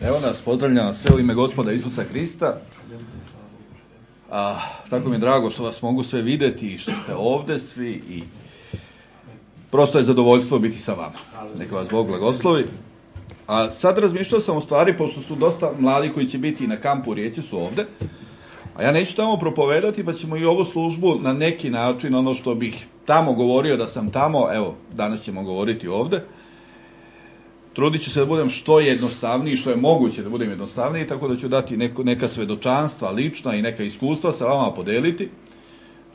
Evo nas, pozdravljam sve u ime Gospoda Isusa Hrista. Tako mi je drago što vas mogu sve vidjeti i što ste ovdje svi i prosto je zadovoljstvo biti sa vama. Neka vas Bog blagoslovi. A sad razmišljao sam u stvari, pošto su dosta mladi koji će biti na kampu u Rijeci su ovdje, a ja neću tamo propovedati, pa ćemo i ovu službu na neki način, ono što bih tamo govorio da sam tamo, evo, danas ćemo govoriti ovdje. Trudit ću se da budem što jednostavniji, što je moguće da budem jednostavniji, tako da ću dati neka svedočanstva lična i neka iskustva sa vama podeliti.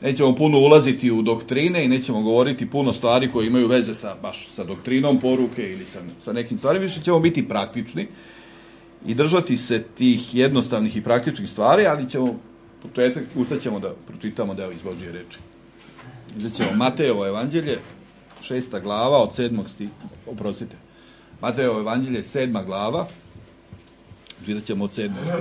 Nećemo puno ulaziti u doktrine i nećemo govoriti puno stvari koje imaju veze baš sa doktrinom poruke ili sa nekim stvarima, više ćemo biti praktični i držati se tih jednostavnih i praktičnih stvari, ali ćemo ustaćemo da pročitamo deo iz Božje reči. Uzet ćemo Matejevo evanđelje, 6. glava od 7. stiha, Matejevo evanđelje, 7. glava, čitat ćemo od 7. stiha.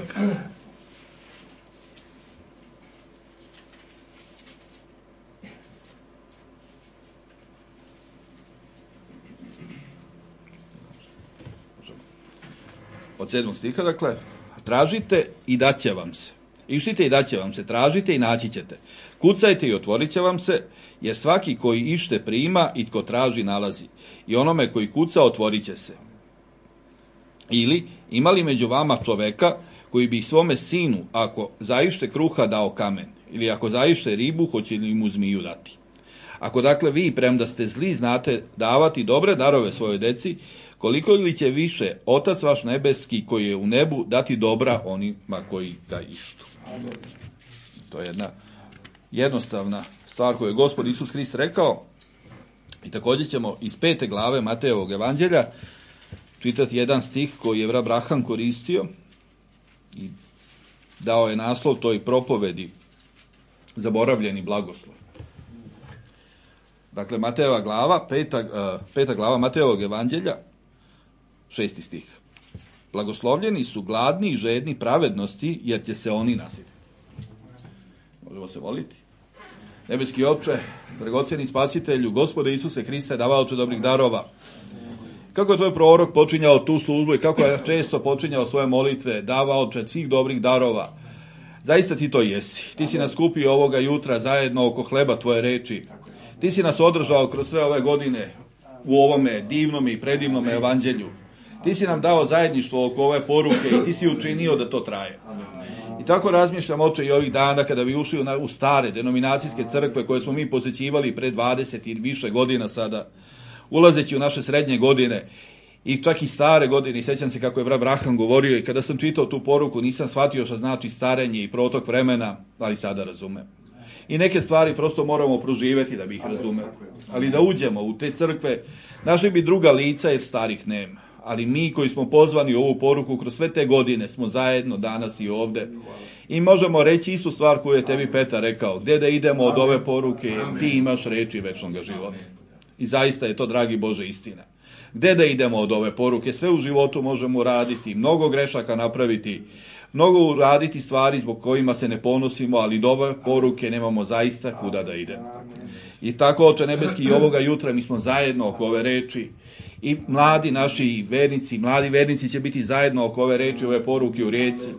Od 7. stiha, dakle, tražite i daće vam se. Išlite i daće vam se, tražite i naći ćete. Kucajte i otvorit će vam se, jer svaki koji ište prima i tko traži nalazi. I onome koji kuca otvorit će se. Ili, ima li među vama čoveka koji bi svome sinu, ako zaište kruha, dao kamen? Ili ako zaište ribu, hoće li mu zmiju dati? Ako dakle vi, premda ste zli, znate davati dobre darove svojoj deci, koliko li će više Otac vaš nebeski koji je u nebu dati dobra onima koji ga ištu. To je jedna jednostavna stvar koju je Gospod Isus Hrist rekao. I također ćemo iz 5. glave Matejevog evanđelja čitati jedan stih koji je Abraham koristio i dao je naslov toj propovedi zaboravljeni blagoslov. Dakle, Matejeva glava, 5. glava Matejevog evanđelja, 6. stih. Blagoslovljeni su gladni i žedni pravednosti, jer će se oni nasititi. Možemo se moliti. Nebeski Oče, dragocjeni Spasitelju, Gospode Isuse Hriste, davaoče dobrih darova, kako je tvoj prorok počinjao tu službu i kako je često počinjao svoje molitve, davaoče svih dobrih darova, zaista ti to jesi. Ti si nas kupio ovoga jutra zajedno oko hleba tvoje reči. Ti si nas održao kroz sve ove godine u ovome divnom i predivnom evanđelju. Ti si nam dao zajedništvo oko ove poruke i ti si učinio da to traje. I tako razmišljam, Oče, i ovih dana kada bi ušli u stare denominacijske crkve koje smo mi posjećivali pre 20 i više godina sada, ulazeći u naše srednje godine i čak i stare godine. I sjećam se kako je Abraham govorio i kada sam čitao tu poruku nisam shvatio što znači starenje i protok vremena, ali sada razumem. I neke stvari prosto moramo proživjeti da bi ih razumeli. Ali da uđemo u te crkve, našli bi druga lica jer starih nema. Ali mi koji smo pozvani u ovu poruku kroz sve te godine smo zajedno danas i ovdje. I možemo reći istu stvar koju je tebi Petar rekao. Gdje da idemo od ove poruke, ti imaš reči večnog života. I zaista je to, dragi Bože, istina. Gdje da idemo od ove poruke? Sve u životu možemo raditi, mnogo grešaka napraviti, mnogo uraditi stvari zbog kojima se ne ponosimo, ali do ove poruke nemamo zaista kuda da idemo. I tako, Oče nebeski, i ovoga jutra mi smo zajedno oko ove reči. I mladi naši vernici, mladi vernici će biti zajedno oko ove reči, ove poruke u Rijeci.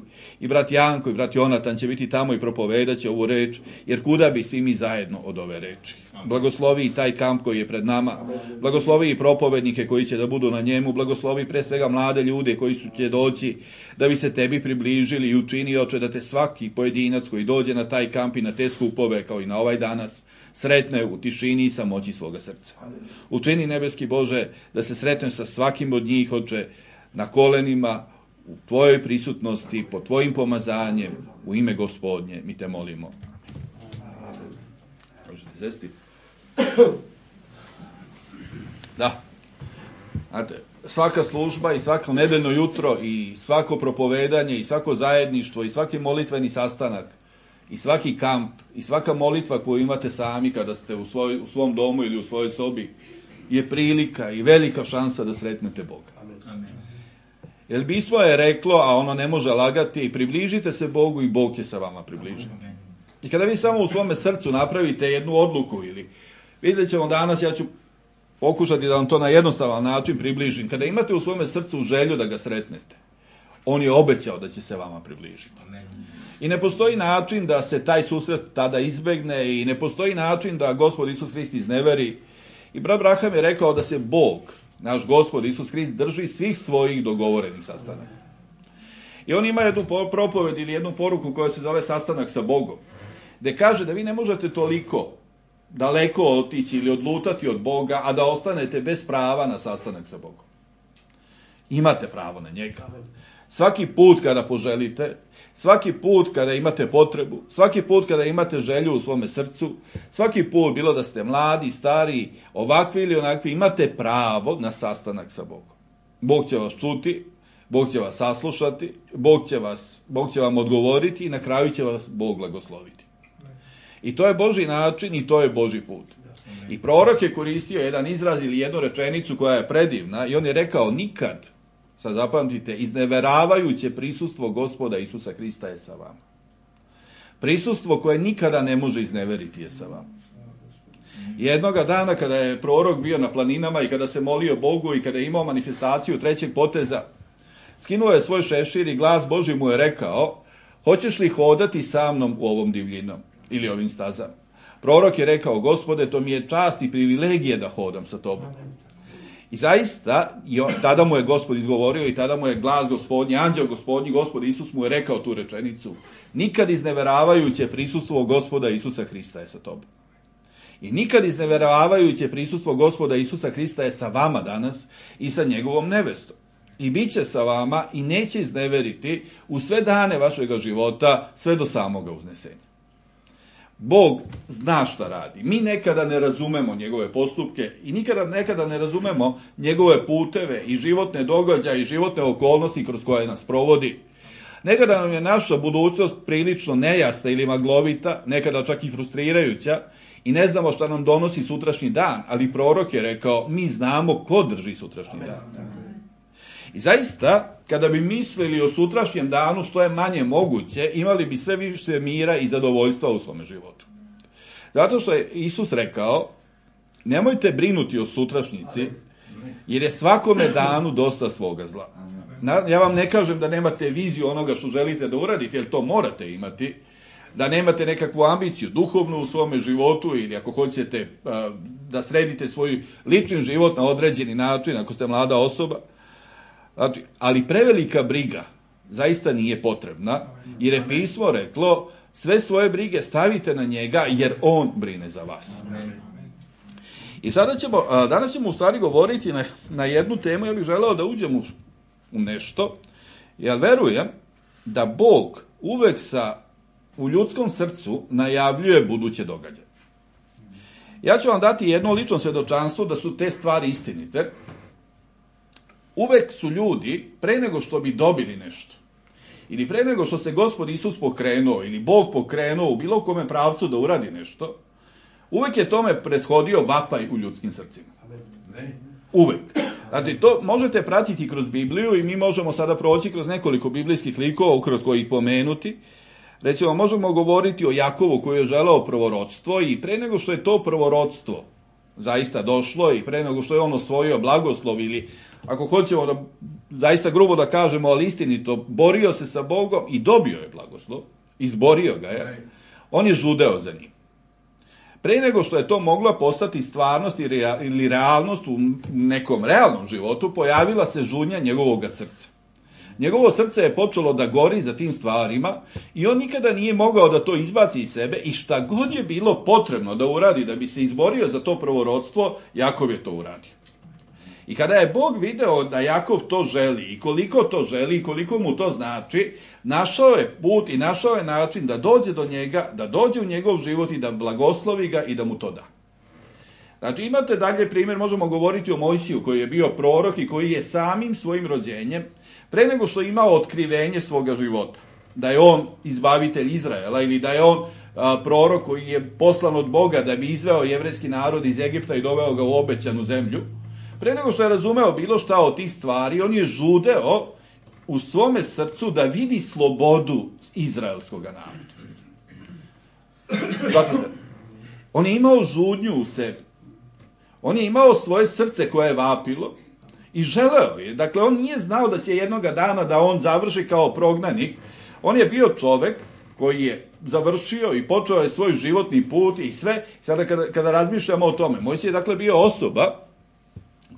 I brat Janko i brat Jonatan će biti tamo i propovedat će ovu reč, jer kuda bi svi mi zajedno od ove reči. Blagoslovi i taj kamp koji je pred nama, blagoslovi i propovednike koji će da budu na njemu, blagoslovi pre svega mlade ljude koji će doći da bi se tebi približili i učini, Oče, da te svaki pojedinac koji dođe na taj kamp i na te skupove, kao i na ovaj danas, sretne u tišini i samoći svoga srca. Učini, nebeski Bože, da se sretneš sa svakim od njih, Oče, na kolenima, u tvojoj prisutnosti, pod tvojim pomazanjem, u ime Gospodnje, mi te molimo. Možete sesti? Da. Znate, svaka služba i svako nedeljno jutro i svako propovedanje i svako zajedništvo i svaki molitveni sastanak i svaki kamp i svaka molitva koju imate sami kada ste u svom domu ili u svojoj sobi je prilika i velika šansa da sretnete Boga. Amen. Jer pismo je reklo, a ono ne može lagati, približite se Bogu i Bog će se vama približiti. I kada vi samo u svome srcu napravite jednu odluku ili vidjet ćemo danas, ja ću pokušati da vam to na jednostavan način približim. Kada imate u svome srcu želju da ga sretnete, on je obećao da će se vama približiti. I ne postoji način da se taj susret tada izbegne i ne postoji način da Gospod Isus Hrist izneveri. I brat Braham je rekao da se Bog, naš Gospod Isus Hrist, drži svih svojih dogovorenih sastanaka. I on ima jednu propoved ili jednu poruku koja se zove sastanak sa Bogom, gde kaže da vi ne možete toliko daleko otići ili odlutati od Boga, a da ostanete bez prava na sastanak sa Bogom. Imate pravo na njega. Svaki put kada poželite, svaki put kada imate potrebu, svaki put kada imate želju u svome srcu, svaki put, bilo da ste mladi, stari, ovakvi ili onakvi, imate pravo na sastanak sa Bogom. Bog će vas čuti, Bog će vas saslušati, Bog će vam odgovoriti i na kraju će vas Bog blagosloviti. I to je Božji način i to je Božji put. I prorok je koristio jedan izraz ili jednu rečenicu koja je predivna i on je rekao nikad, sad zapamtite, izneveravajuće prisustvo Gospoda Isusa Hrista je sa vama. Prisustvo koje nikada ne može izneveriti je sa vama. Jednoga dana kada je prorok bio na planinama i kada se molio Bogu i kada je imao manifestaciju trećeg poteza, skinuo je svoj šešir i glas Božji mu je rekao: hoćeš li hodati sa mnom u ovom divljinom ili ovim stazama? Prorok je rekao: Gospode, to mi je čast i privilegije da hodam sa tobom. I zaista, tada mu je Gospod izgovorio i tada mu je glas Gospodnji, anđeo Gospodnji, Gospod Isus mu je rekao tu rečenicu: nikad izneveravajuće prisustvo Gospoda Isusa Hrista je sa tobom. I nikad izneveravajuće prisustvo Gospoda Isusa Hrista je sa vama danas i sa njegovom nevestom. I bit će sa vama i neće izneveriti u sve dane vašega života, sve do samoga uznesenja. Bog zna šta radi. Mi nekada ne razumemo njegove postupke i nekada ne razumemo njegove puteve i životne događaje i životne okolnosti kroz koje nas provodi. Nekada nam je naša budućnost prilično nejasna ili maglovita, nekada čak i frustrirajuća i ne znamo šta nam donosi sutrašnji dan, ali prorok je rekao: mi znamo ko drži sutrašnji dan. I zaista, kada bi mislili o sutrašnjem danu što je manje moguće, imali bi sve više mira i zadovoljstva u svome životu. Zato što je Isus rekao: nemojte brinuti o sutrašnjici, jer je svakome danu dosta svoga zla. Ja vam ne kažem da nemate viziju onoga što želite da uradite, jer to morate imati, da nemate nekakvu ambiciju duhovnu u svome životu ili ako hoćete da sredite svoj lični život na određeni način, ako ste mlada osoba. Znači, ali prevelika briga zaista nije potrebna, jer je pismo reklo: sve svoje brige stavite na njega, jer on brine za vas. I danas ćemo u stvari govoriti na jednu temu. Ja bih želeo da uđem u nešto, jer verujem da Bog uvek u ljudskom srcu najavljuje buduće događaje. Ja ću vam dati jedno lično svedočanstvo da su te stvari istinite. Uvek su ljudi, pre nego što bi dobili nešto, ili pre nego što se Gospod Isus pokrenuo, ili Bog pokrenuo u bilo kome pravcu da uradi nešto, uvek je tome prethodio vapaj u ljudskim srcima. Uvek. Znači, to možete pratiti kroz Bibliju i mi možemo sada proći kroz nekoliko biblijskih likova, ukratko ih pomenuti. Recimo, možemo govoriti o Jakovu koji je želeo prvorodstvo i pre nego što je to prvorodstvo zaista došlo i pre nego što je on osvojio blagoslov ili, ako hoćemo da zaista grubo da kažemo, ali istinito, borio se sa Bogom i dobio je blagoslov, izborio ga je, on je žudeo za njim. Pre nego što je to mogla postati stvarnost ili realnost u nekom realnom životu, pojavila se žunja njegovog srca. Njegovo srce je počelo da gori za tim stvarima i on nikada nije mogao da to izbaci iz sebe i šta god je bilo potrebno da uradi da bi se izborio za to prvorodstvo, Jakov je to uradio. I kada je Bog video da Jakov to želi i koliko to želi i koliko mu to znači, našao je put i našao je način da dođe do njega, da dođe u njegov život i da blagoslovi ga i da mu to da. Znači, imate dalje primjer, možemo govoriti o Mojsiju koji je bio prorok i koji je samim svojim rođenjem, pre nego što je imao otkrivenje svoga života, da je on izbavitelj Izraela ili da je on prorok koji je poslan od Boga da bi izveo jevrejski narod iz Egipta i doveo ga u obećanu zemlju, pre nego što je razumeo bilo šta od tih stvari, on je žudeo u svome srcu da vidi slobodu izraelskog naroda. Zato on je imao žudnju u sebi. On je imao svoje srce koje je vapilo i želeo je. Dakle, on nije znao da će jednoga dana da on završi kao prognanik. On je bio čovek koji je završio i počeo je svoj životni put i sve. Sada kada razmišljamo o tome, Mojsije je dakle bio osoba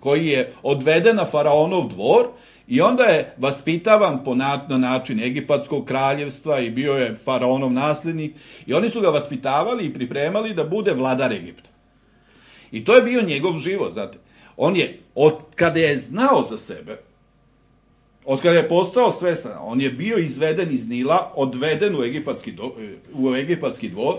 koji je odveden na faraonov dvor i onda je vaspitavan na način egipatskog kraljevstva i bio je faraonov naslednik i oni su ga vaspitavali i pripremali da bude vladar Egipta. I to je bio njegov život, znate. On je, od kada je znao za sebe, od kada je postao svestan, on je bio izveden iz Nila, odveden u egipatski dvor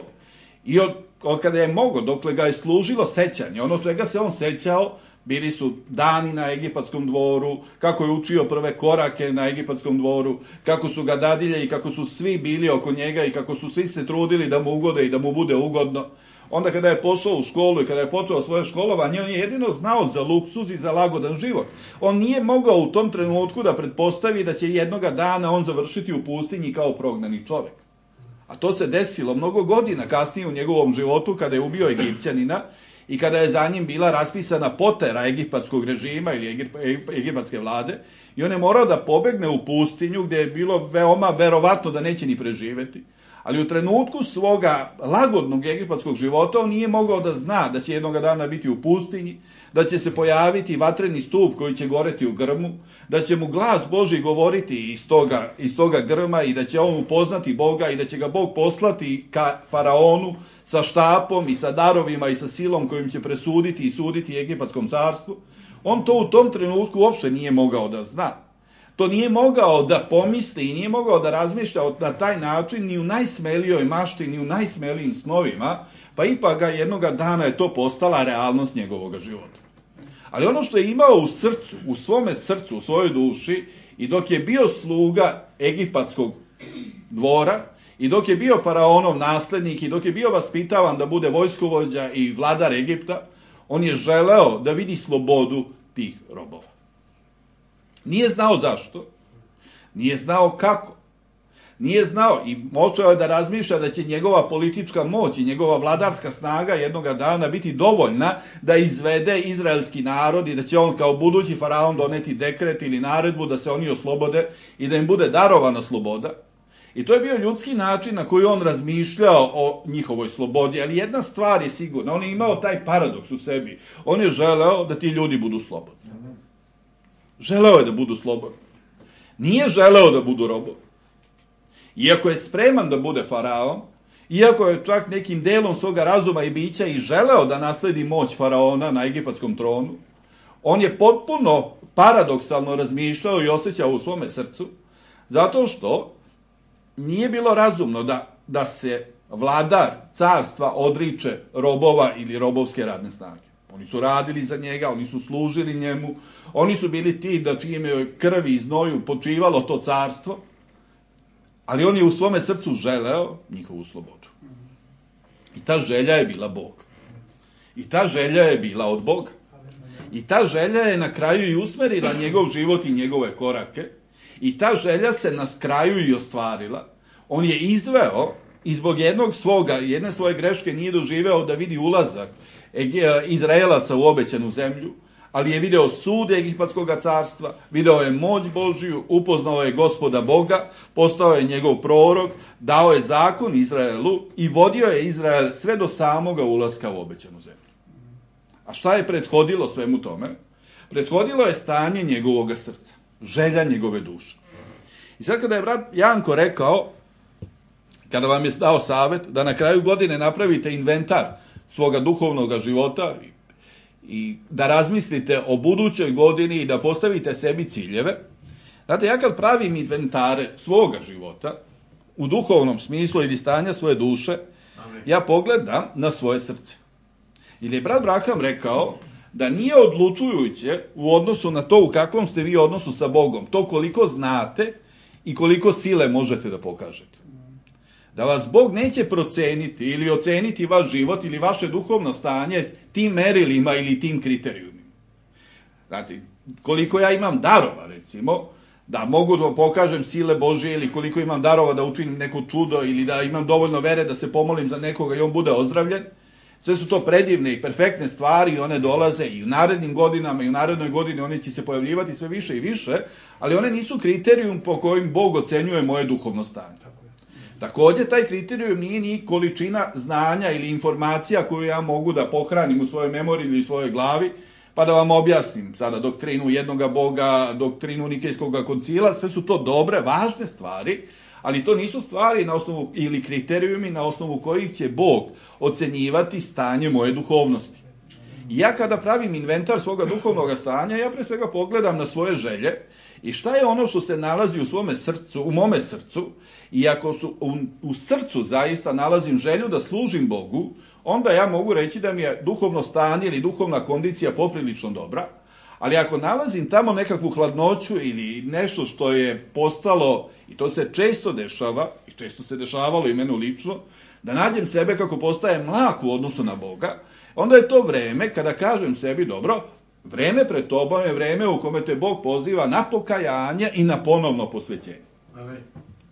i od kada je mogao, dokle ga je služilo sećanje, ono čega se on sećao, bili su dani na egipatskom dvoru, kako je učio prve korake na egipatskom dvoru, kako su ga dadilje i kako su svi bili oko njega i kako su svi se trudili da mu ugode i da mu bude ugodno. Onda kada je pošao u školu i kada je počeo svoje školovanje, on je jedino znao za luksuz i za lagodan život. On nije mogao u tom trenutku da pretpostavi da će jednoga dana on završiti u pustinji kao prognani čovek. A to se desilo mnogo godina kasnije u njegovom životu kada je ubio Egipćanina i kada je za njim bila raspisana potera egipatskog režima ili egipatske vlade i on je morao da pobegne u pustinju gde je bilo veoma verovatno da neće ni preživeti. Ali u trenutku svoga lagodnog egipatskog života on nije mogao da zna da će jednoga dana biti u pustinji, da će se pojaviti vatreni stup koji će goreti u grmu, da će mu glas Božji govoriti iz toga grma i da će on upoznati Boga i da će ga Bog poslati ka faraonu sa štapom i sa darovima i sa silom kojim će presuditi i suditi egipatskom carstvu. On to u tom trenutku uopšte nije mogao da zna. To nije mogao da pomisli i nije mogao da razmišlja na taj način ni u najsmelijoj mašti, ni u najsmelijim snovima, pa ipak ga jednoga dana je to postala realnost njegovog života. Ali ono što je imao u srcu, u svome srcu, u svojoj duši, i dok je bio sluga egipatskog dvora, i dok je bio faraonov naslednik, i dok je bio vaspitavan da bude vojskovođa i vladar Egipta, on je želeo da vidi slobodu tih robova. Nije znao zašto, nije znao kako, nije znao i počeo je da razmišlja da će njegova politička moć i njegova vladarska snaga jednoga dana biti dovoljna da izvede izraelski narod i da će on kao budući faraon doneti dekret ili naredbu da se oni oslobode i da im bude darovana sloboda. I to je bio ljudski način na koji on razmišljao o njihovoj slobodi, ali jedna stvar je sigurna, on je imao taj paradoks u sebi, on je želeo da ti ljudi budu slobodni. Želeo je da budu slobodni. Nije želeo da budu robovi. Iako je spreman da bude faraon, iako je čak nekim delom svoga razuma i bića i želeo da nasledi moć faraona na egipatskom tronu, on je potpuno paradoksalno razmišljao i osjećao u svome srcu, zato što nije bilo razumno da se vladar carstva odriče robova ili robovske radne snage. Oni su radili za njega, oni su služili njemu, oni su bili ti da čijim je krvi i znoju počivalo to carstvo, ali on je u svome srcu želeo njihovu slobodu. I ta želja je bila Bog. I ta želja je bila od Boga. I ta želja je na kraju i usmerila njegov život i njegove korake. I ta želja se na kraju i ostvarila. On je izveo i zbog jedne svoje greške nije doživeo da vidi ulazak Izraelaca u obećanu zemlju, ali je video sud egipatskog carstva, video je moć Božiju, upoznao je Gospoda Boga, postao je njegov prorok, dao je zakon Izraelu i vodio je Izrael sve do samoga ulaska u obećanu zemlju. A šta je prethodilo svemu tome? Prethodilo je stanje njegovog srca, želja njegove duše. I sad kada je brat Janko rekao, kada vam je dao savet da na kraju godine napravite inventar svoga duhovnog života i da razmislite o budućoj godini i da postavite sebi ciljeve. Znate, ja kad pravim inventare svoga života, u duhovnom smislu ili stanja svoje duše, ja pogledam na svoje srce. Jer je brat Braham rekao da nije odlučujuće u odnosu na to u kakvom ste vi odnosu sa Bogom, to koliko znate i koliko sile možete da pokažete. Da vas Bog neće proceniti ili oceniti vaš život ili vaše duhovno stanje tim merilima ili tim kriterijumima. Znate, koliko ja imam darova, recimo, da mogu da pokažem sile Božje ili koliko imam darova da učinim neko čudo ili da imam dovoljno vere da se pomolim za nekoga i on bude ozdravljen, Sve su to predivne i perfektne stvari i one dolaze i u narednim godinama i u narednoj godini one će se pojavljivati sve više i više, ali one nisu kriterijum po kojim Bog ocenjuje moje duhovno stanje. Takođe, taj kriterijum nije ni količina znanja ili informacija koju ja mogu da pohranim u svojoj memoriji ili u svojoj glavi, pa da vam objasnim sada doktrinu jednoga Boga, doktrinu Nikejskog koncila, sve su to dobre, važne stvari, ali to nisu stvari na osnovu ili kriterijumi na osnovu kojih će Bog ocenjivati stanje moje duhovnosti. I ja kada pravim inventar svoga duhovnog stanja, ja pre svega pogledam na svoje želje i šta je ono što se nalazi u svome srcu, u mome srcu, i ako u srcu zaista nalazim želju da služim Bogu, onda ja mogu reći da mi je duhovno stanje ili duhovna kondicija poprilično dobra, ali ako nalazim tamo nekakvu hladnoću ili nešto što je postalo, i to se često dešava, i često se dešavalo i meni lično, da nađem sebe kako postaje mlak u odnosu na Boga, onda je to vreme kada kažem sebi, dobro, vreme pred tobom je vreme u kome te Bog poziva na pokajanje i na ponovno posvećenje.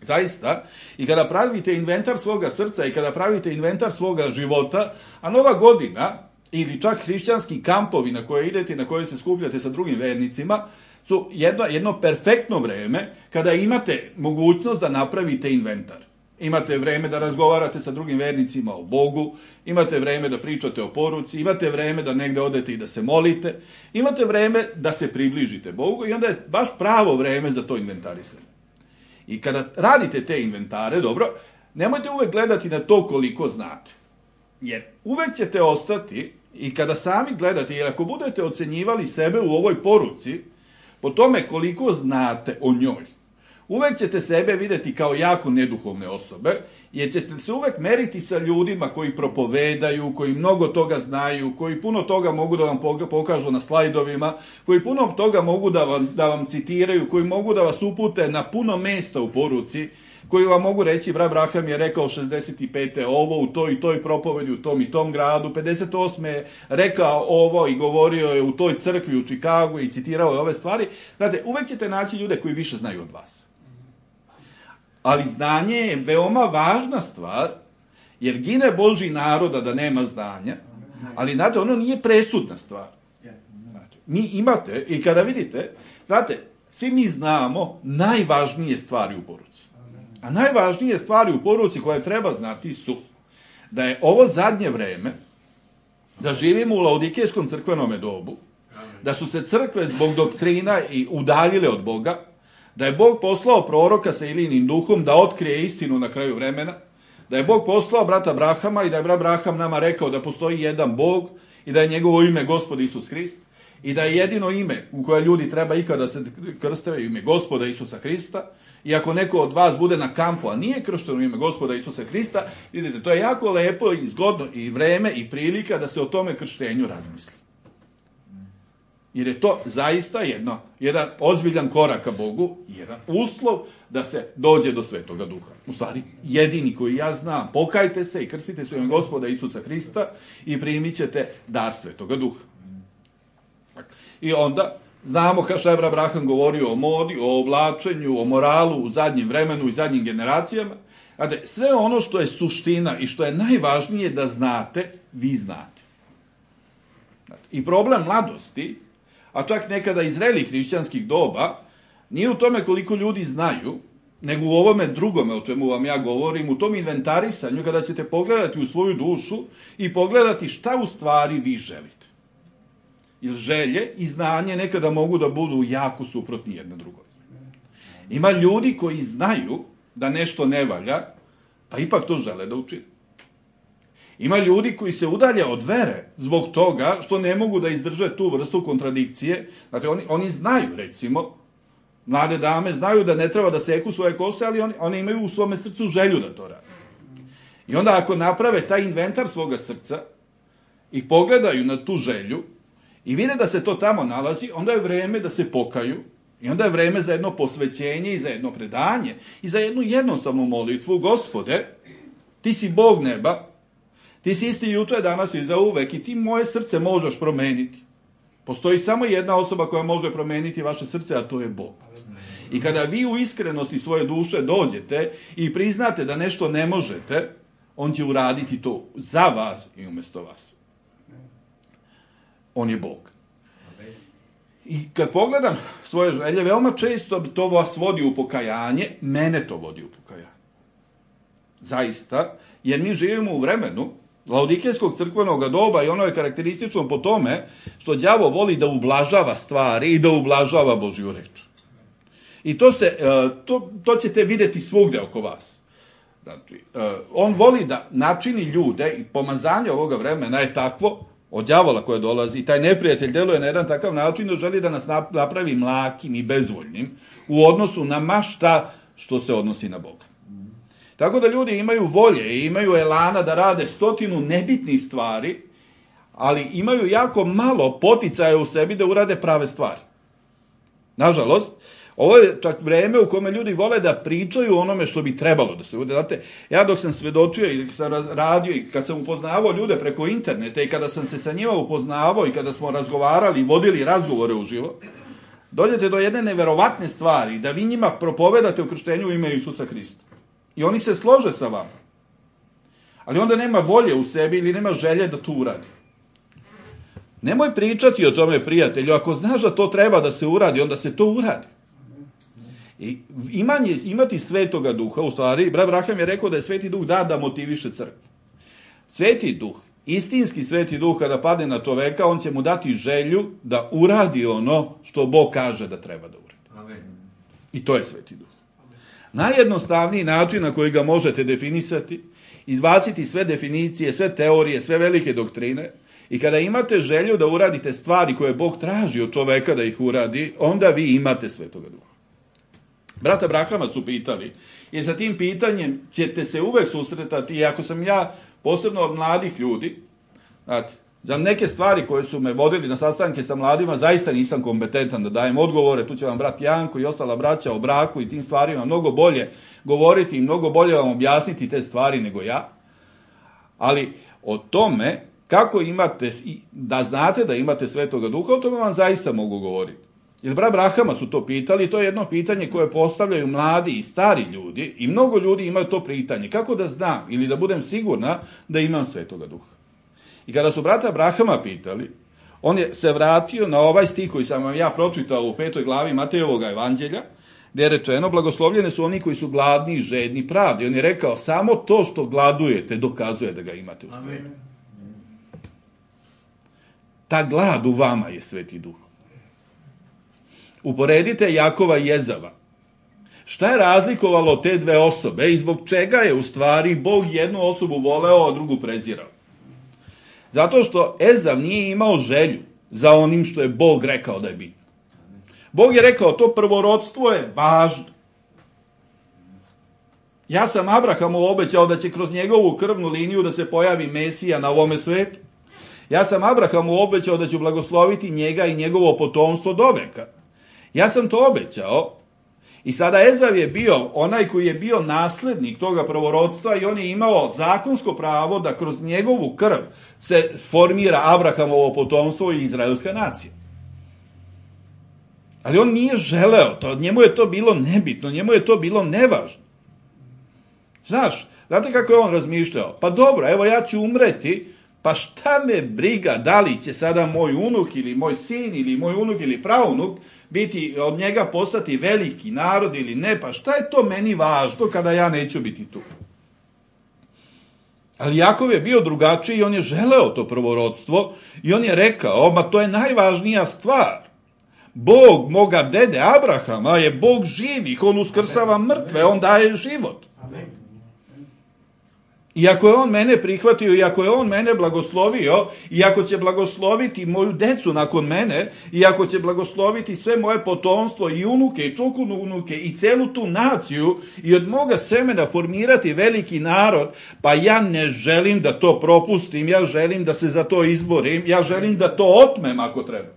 Zaista, i kada pravite inventar svoga srca i kada pravite inventar svoga života, a Nova godina, ili čak hrišćanski kampovi na koje idete i na koje se skupljate sa drugim vernicima, su jedno perfektno vreme kada imate mogućnost da napravite inventar. Imate vreme da razgovarate sa drugim vernicima o Bogu, imate vreme da pričate o poruci, imate vreme da negde odete i da se molite, imate vreme da se približite Bogu i onda je baš pravo vreme za to inventarisanje. I kada radite te inventare, dobro, nemojte uvek gledati na to koliko znate. Jer uvek ćete ostati i kada sami gledate, jer ako budete ocenjivali sebe u ovoj poruci, po tome koliko znate o njoj, uvek ćete sebe videti kao jako neduhovne osobe, jer ćete se uvek meriti sa ljudima koji propovedaju, koji mnogo toga znaju, koji puno toga mogu da vam pokažu na slajdovima, koji puno toga mogu da vam citiraju, koji mogu da vas upute na puno mesta u poruci, koji vam mogu reći, brat Braham je rekao 65. ovo u toj i toj propovedi u tom i tom gradu, 58. je rekao ovo i govorio je u toj crkvi u Čikagu i citirao je ove stvari. Znate, uvek ćete naći ljude koji više znaju od vas. Ali znanje je veoma važna stvar, jer gine Božji naroda da nema znanja, ali znate, ono nije presudna stvar. Znate, mi imate, i kada vidite, znate, svi mi znamo najvažnije stvari u poruci. A najvažnije stvari u poruci koje treba znati su da je ovo zadnje vreme, da živimo u laodikejskom crkvenome dobu, da su se crkve zbog doktrina i udaljile od Boga, da je Bog poslao proroka sa Ilijinim duhom da otkrije istinu na kraju vremena, da je Bog poslao brata Brahama i da je brat Braham nama rekao da postoji jedan Bog i da je njegovo ime Gospod Isus Hrist i da je jedino ime u koje ljudi treba ikada se krste ime Gospoda Isusa Hrista. I ako neko od vas bude na kampu, a nije kršten u ime Gospoda Isusa Hrista, vidite, to je jako lepo i zgodno i vreme i prilika da se o tome krštenju razmisli. Jer je to zaista jedan ozbiljan korak ka Bogu, jedan uslov da se dođe do Svetoga Duha. U stvari, jedini koji ja znam, pokajte se i krstite se u ime Gospoda Isusa Hrista i primit ćete dar Svetoga Duha. I onda znamo što je brat Braham govorio o modi, o oblačenju, o moralu u zadnjem vremenu i zadnjim generacijama. Znate, sve ono što je suština i što je najvažnije da znate, vi znate. I problem mladosti, a čak nekada i zrelih hrišćanskih doba, nije u tome koliko ljudi znaju, nego u ovome drugome o čemu vam ja govorim, u tom inventarisanju kada ćete pogledati u svoju dušu i pogledati šta u stvari vi želite. Jer želje i znanje nekada mogu da budu jako suprotni jedno drugoj. Ima ljudi koji znaju da nešto ne valja, pa ipak to žele da učine. Ima ljudi koji se udalje od vere zbog toga što ne mogu da izdrže tu vrstu kontradikcije. Znači, oni znaju, recimo, mlade dame znaju da ne treba da seku svoje kose, ali oni imaju u svome srcu želju da to rade. I onda ako naprave taj inventar svoga srca i pogledaju na tu želju i vide da se to tamo nalazi, onda je vreme da se pokaju i onda je vreme za jedno posvećenje i za jedno predanje i za jednu jednostavnu molitvu. Gospode, ti si Bog neba, ti si isti juče, danas i zauvek i ti moje srce možeš promeniti. Postoji samo jedna osoba koja može promeniti vaše srce, a to je Bog. I kada vi u iskrenosti svoje duše dođete i priznate da nešto ne možete, On će uraditi to za vas i umjesto vas. On je Bog. I kad pogledam svoje želje, veoma često to vas vodi u pokajanje, mene to vodi u pokajanje. Zaista, jer mi živimo u vremenu laodikejskog crkvenog doba i ono je karakteristično po tome što đavo voli da ublažava stvari i da ublažava Božju reč. I to ćete vidjeti svugde oko vas. Znači, on voli da načini ljude i pomazanje ovoga vremena je takvo od đavola koje dolazi i taj neprijatelj deluje na jedan takav način da želi da nas napravi mlakim i bezvoljnim u odnosu na ma šta što se odnosi na Boga. Tako da ljudi imaju volje i imaju elana da rade 100 nebitnih stvari, ali imaju jako malo poticaja u sebi da urade prave stvari. Nažalost, ovo je čak vreme u kome ljudi vole da pričaju o onome što bi trebalo da se urade. Znate, ja dok sam svedočio i sam radio i kad sam upoznavao ljude preko interneta i kada sam se sa njima upoznavao i kada smo razgovarali i vodili razgovore uživo, dođete do jedne neverovatne stvari, da vi njima propovedate o krštenju u ime Isusa Hrista. I oni se slože sa vama. Ali onda nema volje u sebi ili nema želje da to uradi. Nemoj pričati o tome, prijatelju. Ako znaš da to treba da se uradi, onda se to uradi. I imati Svetoga Duha, u stvari, brat Braham je rekao da je Sveti Duh da motiviše crkvu. Sveti Duh, istinski Sveti Duh, kada padne na čoveka, on će mu dati želju da uradi ono što Bog kaže da treba da uradi. Amen. I to je Sveti Duh. Najjednostavniji način na koji ga možete definisati, izbaciti sve definicije, sve teorije, sve velike doktrine, i kada imate želju da uradite stvari koje Bog traži od čoveka da ih uradi, onda vi imate Svetoga Duha. Brata Brahama su pitali, jer sa tim pitanjem ćete se uvek susretati, i ako sam ja, posebno od mladih ljudi, znate, za neke stvari koje su me vodili na sastanke sa mladima, zaista nisam kompetentan da dajem odgovore, tu će vam brat Janko i ostala braća o braku i tim stvarima mnogo bolje govoriti i mnogo bolje vam objasniti te stvari nego ja, ali o tome kako imate, da znate da imate Svetoga Duha, o tome vam zaista mogu govoriti. Jer brat Brahama su to pitali, to je jedno pitanje koje postavljaju mladi i stari ljudi i mnogo ljudi imaju to pitanje. Kako da znam ili da budem sigurna da imam Svetoga Duha? I kada su brata Brahama pitali, on je se vratio na ovaj stih koji sam vam ja pročitao u 5. glavi Matejevog evanđelja, gdje je rečeno, blagoslovljeni su oni koji su gladni i žedni pravde. On je rekao, samo to što gladujete dokazuje da ga imate u stvari. Ta glad u vama je Sveti Duh. Uporedite Jakova i Ezava. Šta je razlikovalo te dve osobe i zbog čega je u stvari Bog jednu osobu voleo, a drugu prezirao? Zato što Ezav nije imao želju za onim što je Bog rekao da je bitno. Bog je rekao, to prvorodstvo je važno. Ja sam Abrahamu obećao da će kroz njegovu krvnu liniju da se pojavi Mesija na ovome svetu. Ja sam Abrahamu obećao da ću blagosloviti njega i njegovo potomstvo do veka. Ja sam to obećao i sada Ezav je bio onaj koji je bio naslednik toga prvorodstva i on je imao zakonsko pravo da kroz njegovu krv se formira Abrahamovo potomstvo i izraelska nacija. Ali on nije želeo to, njemu je to bilo nebitno, njemu je to bilo nevažno. Znaš, znate kako je on razmišljao? Pa dobro, evo ja ću umreti, pa šta me briga da li će sada moj unuk ili moj sin ili moj unuk ili praunuk biti od njega postati veliki narod ili ne, pa šta je to meni važno kada ja neću biti tu? Ali Jakov je bio drugačiji i on je želeo to prvorodstvo i on je rekao, ma to je najvažnija stvar. Bog moga dede Abrahama je Bog živih, on uskrsava mrtve, on daje život. I ako je on mene prihvatio, i ako je on mene blagoslovio, i ako će blagosloviti moju decu nakon mene, i ako će blagosloviti sve moje potomstvo, i unuke, i čukununuke, i celu tu naciju, i od moga semena formirati veliki narod, pa ja ne želim da to propustim, ja želim da se za to izborim, ja želim da to otmem ako treba.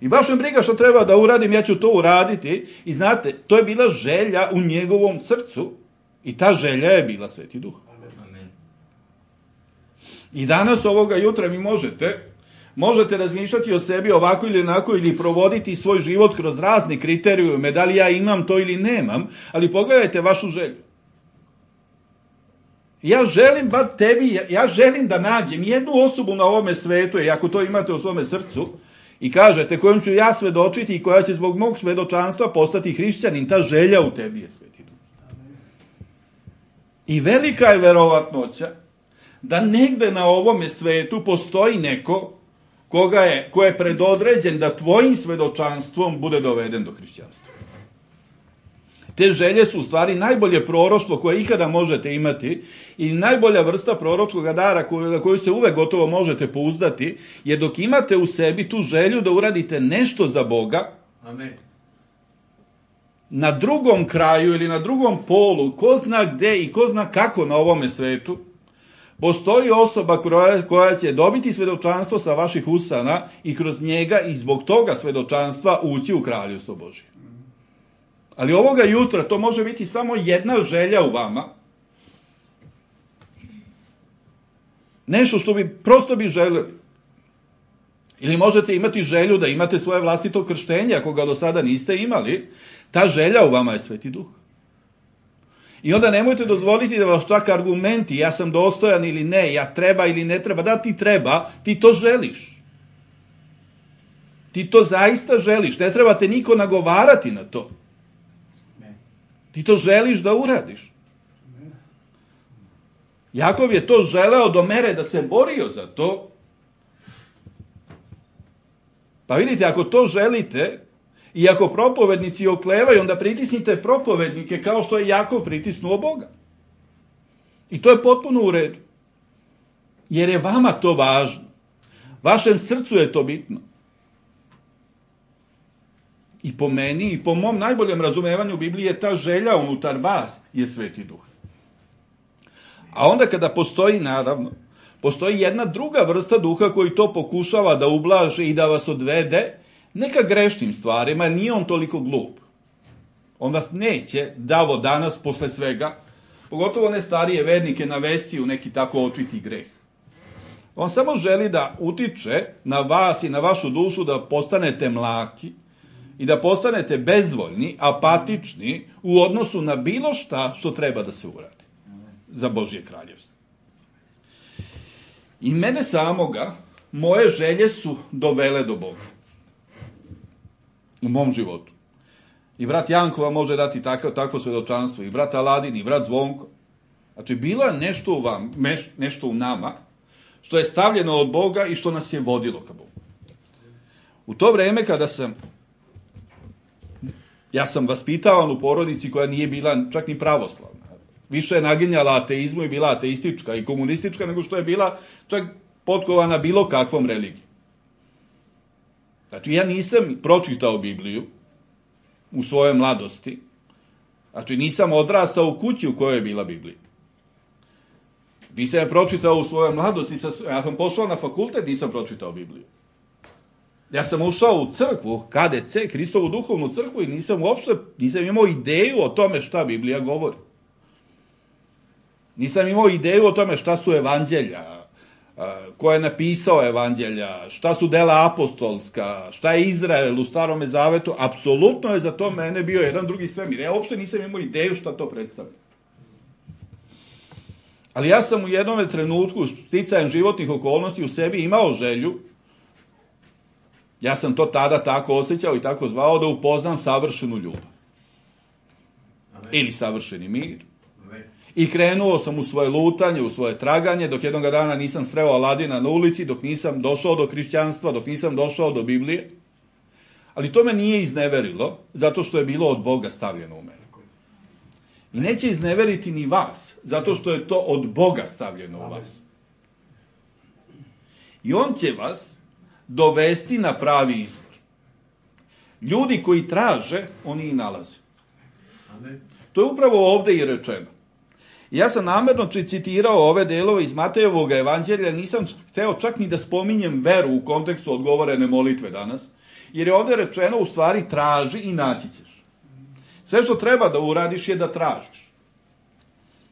I baš me briga što treba da uradim, ja ću to uraditi. I znate, to je bila želja u njegovom srcu, i ta želja je bila Sveti Duh. Amen. I danas ovoga jutra vi možete razmišljati o sebi ovako ili onako ili provoditi svoj život kroz razne kriterijume, da li ja imam to ili nemam, ali pogledajte vašu želju. Ja želim bar tebi, ja želim da nađem jednu osobu na ovome svetu, i ako to imate u svome srcu, i kažete kojom ću ja svedočiti i koja će zbog mog svedočanstva postati hrišćanin, ta želja u tebi je Sveti Duh. I velika je verovatnoća da negde na ovome svetu postoji neko ko je predodređen da tvojim svedočanstvom bude doveden do hrišćanstva. Te želje su u stvari najbolje proroštvo koje ikada možete imati i najbolja vrsta proročkog dara na koju se uvek gotovo možete pouzdati, jer dok imate u sebi tu želju da uradite nešto za Boga, Amen. Na drugom kraju ili na drugom polu, ko zna gde i ko zna kako na ovome svetu, postoji osoba koja će dobiti svedočanstvo sa vaših usana i kroz njega i zbog toga svedočanstva ući u kraljevstvo Božje. Ali ovoga jutra to može biti samo jedna želja u vama. Nešto što prosto bi želeli. Ili možete imati želju da imate svoje vlastito krštenje, ako ga do sada niste imali. Ta želja u vama je Sveti Duh. I onda nemojte dozvoliti da vas čak argumenti, ja sam dostojan ili ne, ja treba ili ne treba, da ti treba, ti to želiš. Ti to zaista želiš, ne treba te niko nagovarati na to. Ti to želiš da uradiš. Jakov je to želeo do mere da se borio za to. Pa vidite, ako to želite, i ako propovednici oklevaju, onda pritisnite propovednike kao što je Jakov pritisnuo Boga. I to je potpuno u redu. Jer je vama to važno. Vašem srcu je to bitno. I po meni, i po mom najboljem razumevanju Biblije, ta želja unutar vas je Sveti Duh. A onda kada postoji, naravno, postoji jedna druga vrsta duha koji to pokušava da ublaži i da vas odvede, neka grešnim stvarima, jer nije on toliko glup. On vas neće, davo danas, posle svega, pogotovo ne starije vernike, navesti u neki tako očiti greh. On samo želi da utiče na vas i na vašu dušu da postanete mlaki i da postanete bezvoljni, apatični u odnosu na bilo šta što treba da se uradi za Božje kraljevstvo. I mene samoga, moje želje su dovele do Boga. U mom životu. I brat Janko vam može dati takvo svedočanstvo, i brat Aladin, i brat Zvonko. Znači, bilo je nešto u nama, što je stavljeno od Boga i što nas je vodilo ka Bogu. U to vreme kada ja sam vaspitavan u porodici koja nije bila čak ni pravoslavna. Više je naginjala ateizmu i bila ateistička i komunistička nego što je bila čak potkovana bilo kakvom religijom. Znači, ja nisam pročitao Bibliju u svojoj mladosti. Znači, nisam odrastao u kući u kojoj je bila Biblija. Nisam je pročitao u svojoj mladosti. Ja sam pošao na fakultet, nisam pročitao Bibliju. Ja sam ušao u crkvu, KDC, Hristovu duhovnu crkvu, i nisam imao ideju o tome šta Biblija govori. Nisam imao ideju o tome šta su evanđelja, ko je napisao evanđelja, šta su dela apostolska, šta je Izrael u Starome Zavetu. Apsolutno je za to mene bio jedan drugi svemir. Ja uopšte nisam imao ideju šta to predstavlja. Ali ja sam u jednom trenutku, sticajem životnih okolnosti, u sebi imao želju, ja sam to tada tako osjećao i tako zvao, da upoznam savršenu ljubav. Ili savršeni mir. I krenuo sam u svoje lutanje, u svoje traganje, dok jednog dana nisam sreo Aladina na ulici, dok nisam došao do hrišćanstva, dok nisam došao do Biblije. Ali to me nije izneverilo, zato što je bilo od Boga stavljeno u mene. I neće izneveriti ni vas, zato što je to od Boga stavljeno u vas. I on će vas dovesti na pravi izbor. Ljudi koji traže, oni i nalaze. To je upravo ovde i rečeno. Ja sam namerno citirao ove delove iz Matejevog evanđelja, nisam hteo čak ni da spominjem veru u kontekstu odgovorene molitve danas, jer je ovde rečeno u stvari traži i naći ćeš. Sve što treba da uradiš je da tražiš.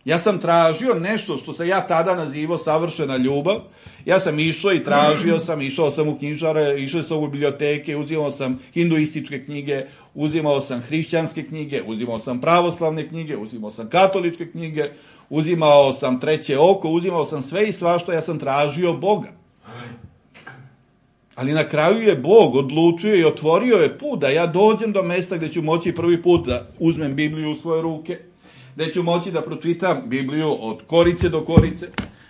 Ja sam tražio nešto što se ja tada nazivao savršena ljubav. Ja sam išao i tražio sam, išao sam u knjižare, išao sam u biblioteke, uzimao sam hinduističke knjige, uzimao sam hrišćanske knjige, uzimao sam pravoslavne knjige, uzimao sam katoličke knjige, uzimao sam treće oko, uzimao sam sve i svašta, ja sam tražio Boga. Ali na kraju je Bog odlučio i otvorio je put da ja dođem do mesta gdje ću moći prvi put da uzmem Bibliju u svoje ruke, gdje ću moći da pročitam Bibliju od korice do korice,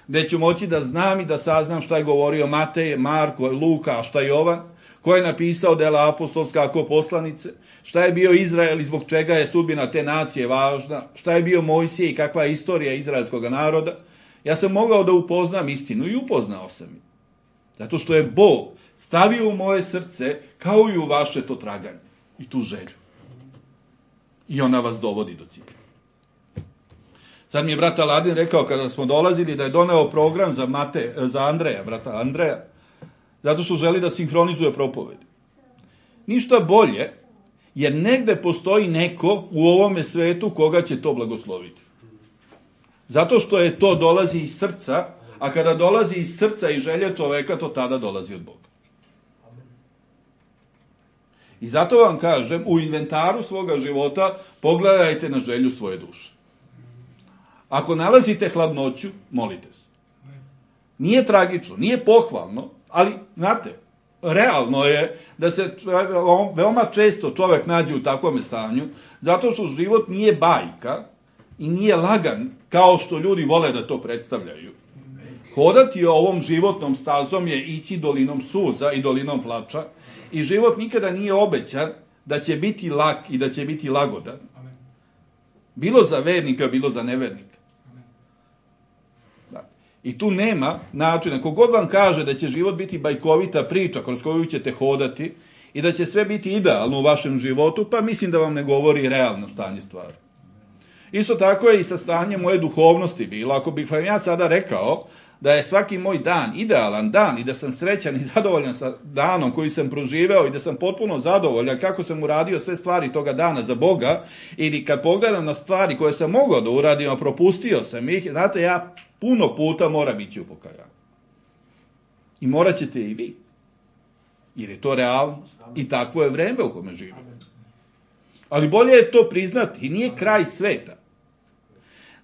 gdje ću moći da znam i da saznam šta je govorio Matej, Marko, Luka, a šta je Jovan, ko je napisao dela apostolska ako poslanice, šta je bio Izrael i zbog čega je sudbina te nacije važna, šta je bio Mojsije i kakva je istorija izraelskog naroda. Ja sam mogao da upoznam istinu i upoznao sam je. Zato što je Bog stavio u moje srce kao i u vaše to traganje i tu želju. I ona vas dovodi do cilja. Sad mi je brat Aladin rekao kada smo dolazili da je doneo program za Andreja, brata Andreja, zato što želi da sinhronizuje propovedi. Ništa bolje, jer negde postoji neko u ovome svetu koga će to blagosloviti. Zato što je to dolazi iz srca, a kada dolazi iz srca i želje čoveka, to tada dolazi od Boga. I zato vam kažem, u inventaru svoga života pogledajte na želju svoje duše. Ako nalazite hladnoću, molite se. Nije tragično, nije pohvalno, ali, znate, realno je da se veoma često čovek nađe u takvom stanju, zato što život nije bajka i nije lagan, kao što ljudi vole da to predstavljaju. Hodati ovom životnom stazom je ići dolinom suza i dolinom plača i život nikada nije obećan da će biti lak i da će biti lagodan. Bilo za vernika, bilo za nevernika. I tu nema načina. Kogod vam kaže da će život biti bajkovita priča kroz koju ćete hodati i da će sve biti idealno u vašem životu, pa mislim da vam ne govori realno stanje stvari. Isto tako je i sa stanjem moje duhovnosti bilo. Ako bih vam ja sada rekao da je svaki moj dan idealan dan i da sam srećan i zadovoljan sa danom koji sam proživeo i da sam potpuno zadovoljan kako sam uradio sve stvari toga dana za Boga, ili kad pogledam na stvari koje sam mogao da uradim, a propustio sam ih, znate, ja puno puta moram ići u pokajanje. I morat ćete i vi. Jer je to realnost. I takvo je vreme u kome živimo. Ali bolje je to priznati. I nije kraj sveta.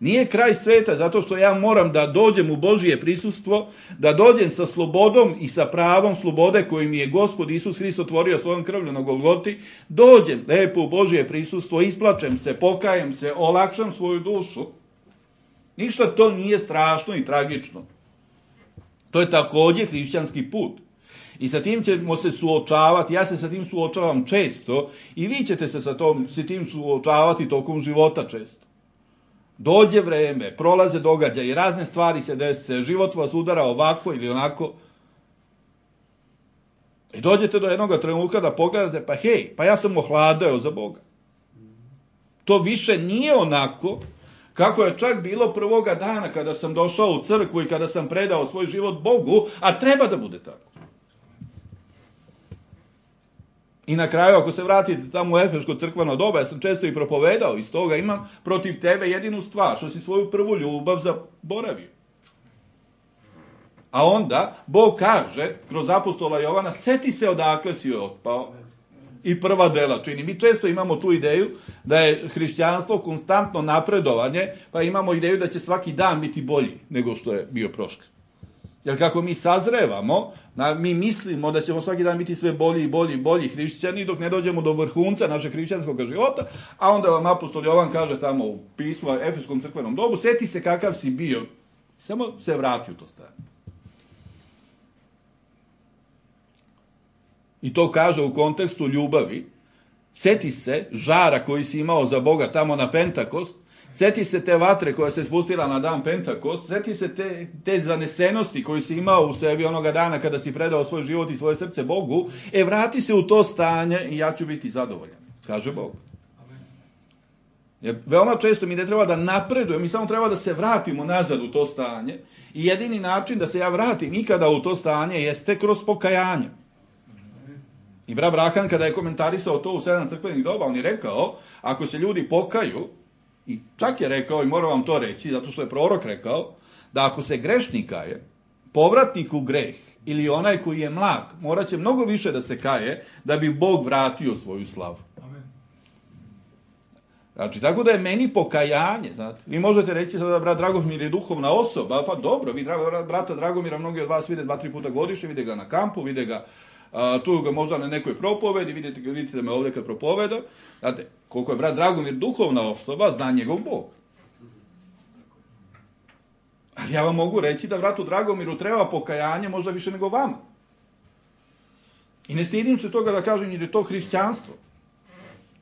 Nije kraj sveta zato što ja moram da dođem u Božije prisustvo, da dođem sa slobodom i sa pravom slobode koju mi je Gospod Isus Hrist otvorio svojom krvlju na Golgoti, dođem lepo u Božije prisustvo, isplačem se, pokajem se, olakšam svoju dušu. Ništa to nije strašno i tragično. To je također hrišćanski put. I sa tim ćemo se suočavati, ja se sa tim suočavam često i vi ćete se sa tim suočavati tokom života često. Dođe vreme, prolaze događaje, razne stvari se dese, život vas udara ovako ili onako. I dođete do jednog trenutka da pogledate, pa hej, pa ja sam ohladao za Boga. To više nije onako kako je čak bilo prvoga dana kada sam došao u crkvu i kada sam predao svoj život Bogu, a treba da bude tako. I na kraju, ako se vratite tamo u Efeško crkveno doba, ja sam često i propovedao, iz toga imam protiv tebe jedinu stvar, što si svoju prvu ljubav zaboravio. A onda, Bog kaže, kroz apostola Jovana, seti se odakle si otpao. I prva dela čini. Mi često imamo tu ideju da je hrišćanstvo konstantno napredovanje, pa imamo ideju da će svaki dan biti bolji nego što je bio prošli. Jer kako mi sazrevamo, mi mislimo da ćemo svaki dan biti sve bolji i bolji i bolji hrišćani dok ne dođemo do vrhunca našeg hrišćanskog života, a onda vam apostol Jovan kaže tamo u pismu Efeskom crkvenom dobu, seti se kakav si bio, samo se vrati u to stanje. I to kaže u kontekstu ljubavi. Seti se žara koji si imao za Boga tamo na Pentakost, seti se te vatre koja se spustila na dan Pentakost, seti se te zanesenosti koju si imao u sebi onoga dana kada si predao svoj život i svoje srce Bogu, vrati se u to stanje i ja ću biti zadovoljan, kaže Bog. Jer veoma često mi ne treba da napredujemo, mi samo treba da se vratimo nazad u to stanje i jedini način da se ja vratim ikada u to stanje jeste kroz pokajanje. I brat Brahan kada je komentarisao to u 7 crkvenih doba, on je rekao, ako se ljudi pokaju I čak je rekao, i moram vam to reći, zato što je prorok rekao, da ako se grešnik kaje, povratnik u greh, ili onaj koji je mlak, morat će mnogo više da se kaje, da bi Bog vratio svoju slavu. Znači, tako da je meni pokajanje, znate. Vi možete reći sada da brat Dragomir je duhovna osoba, pa dobro, vi brata Dragomira, mnogi od vas vide 2-3 puta godišnje, vide ga na kampu, vide ga, čuju ga možda na nekoj propovedi, vidite me ovdje kad propoveda. Znate, koliko je brat Dragomir duhovna osoba, zna njegov Bog. Ali ja vam mogu reći da bratu Dragomiru treba pokajanje možda više nego vama. I ne stidim se toga da kažem jer je to hrišćanstvo.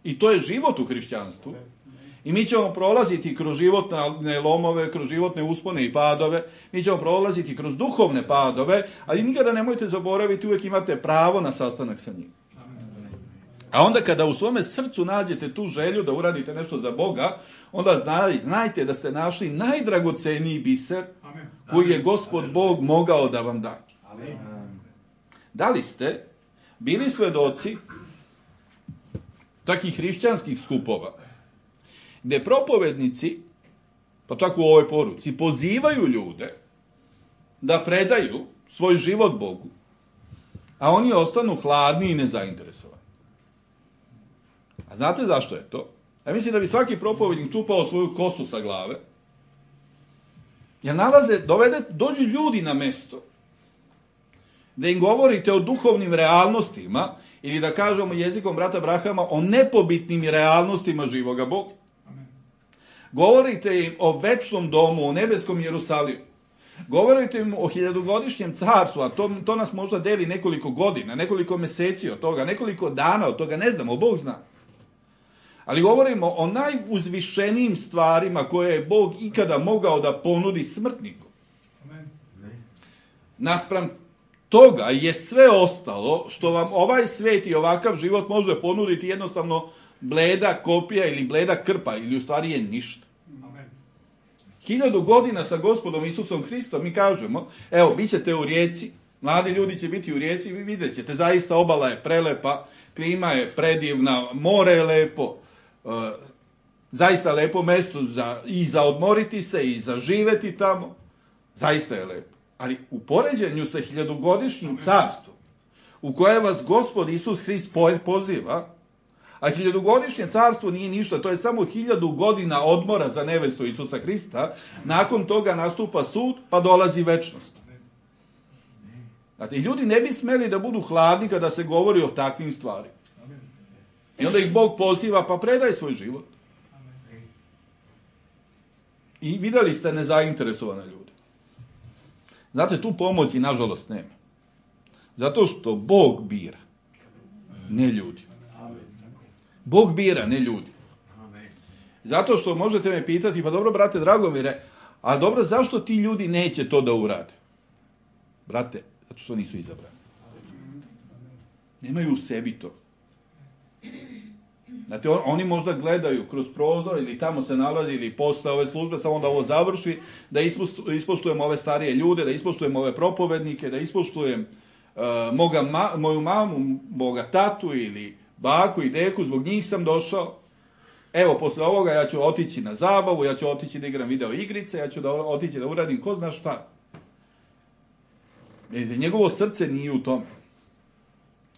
I to je život u hrišćanstvu. I mi ćemo prolaziti kroz životne lomove, kroz životne uspone i padove. Mi ćemo prolaziti kroz duhovne padove, ali nikada nemojte zaboraviti, uvijek imate pravo na sastanak sa njim. A onda kada u svome srcu nađete tu želju da uradite nešto za Boga, onda znajte da ste našli najdragoceniji biser koji je Gospod Bog mogao da vam da. Da li ste bili svedoci takih hrišćanskih skupova, gdje propovednici, pa čak u ovoj poruci, pozivaju ljude da predaju svoj život Bogu, a oni ostanu hladni i nezainteresovani. A znate zašto je to? Ja mislim da bi svaki propovednik čupao svoju kosu sa glave, jer dođu ljudi na mesto da im govorite o duhovnim realnostima, ili da kažemo jezikom brata Brahama, o nepobitnim realnostima živoga Boga. Govorite im o večnom domu, o nebeskom Jerusalimu. Govorite im o 1000-godišnjem carstvu, a to nas možda deli nekoliko godina, nekoliko meseci od toga, nekoliko dana od toga, ne znamo, Bog zna. Ali govorimo o najuzvišenijim stvarima koje je Bog ikada mogao da ponudi smrtniku. Naspram toga je sve ostalo što vam ovaj svet i ovakav život može ponuditi jednostavno bleda kopija ili bleda krpa, ili u stvari je ništa. 1000 godina sa Gospodom Isusom Hristom mi kažemo, evo, bit ćete u Rijeci, mladi ljudi će biti u Rijeci, vi vidjet ćete, zaista obala je prelepa, klima je predivna, more je lepo, zaista lepo mesto i za odmoriti se i za živeti tamo, zaista je lepo. Ali u poređenju sa 1000-godišnjim carstvom, u koje vas Gospod Isus Hrist poziva, a 1000-godišnje carstvo nije ništa, to je samo 1000 godina odmora za nevestu Isusa Hrista, nakon toga nastupa sud, pa dolazi večnost. Znate, ljudi ne bi smeli da budu hladni kada se govori o takvim stvarima. I onda ih Bog poziva, pa predaj svoj život. I vidjeli ste nezainteresovane ljude. Znate, tu pomoći, nažalost, nema. Zato što Bog bira, ne ljudi. Bog bira, ne ljudi. Zato što možete me pitati, pa dobro, brate Dragomire, a dobro, zašto ti ljudi neće to da urade? Brate, zato što nisu izabrani. Nemaju u sebi to. Znate, oni možda gledaju kroz prozor ili tamo se nalazi ili posle ove službe, samo da ovo završi, da ispoštujem ove starije ljude, da ispoštujem ove propovednike, da ispoštujem moju mamu, moga tatu ili baku i deku, zbog njih sam došao. Evo, posle ovoga ja ću otići na zabavu, ja ću otići da igram video igrice, ja ću otići da uradim ko zna šta. Njegovo srce nije u tome.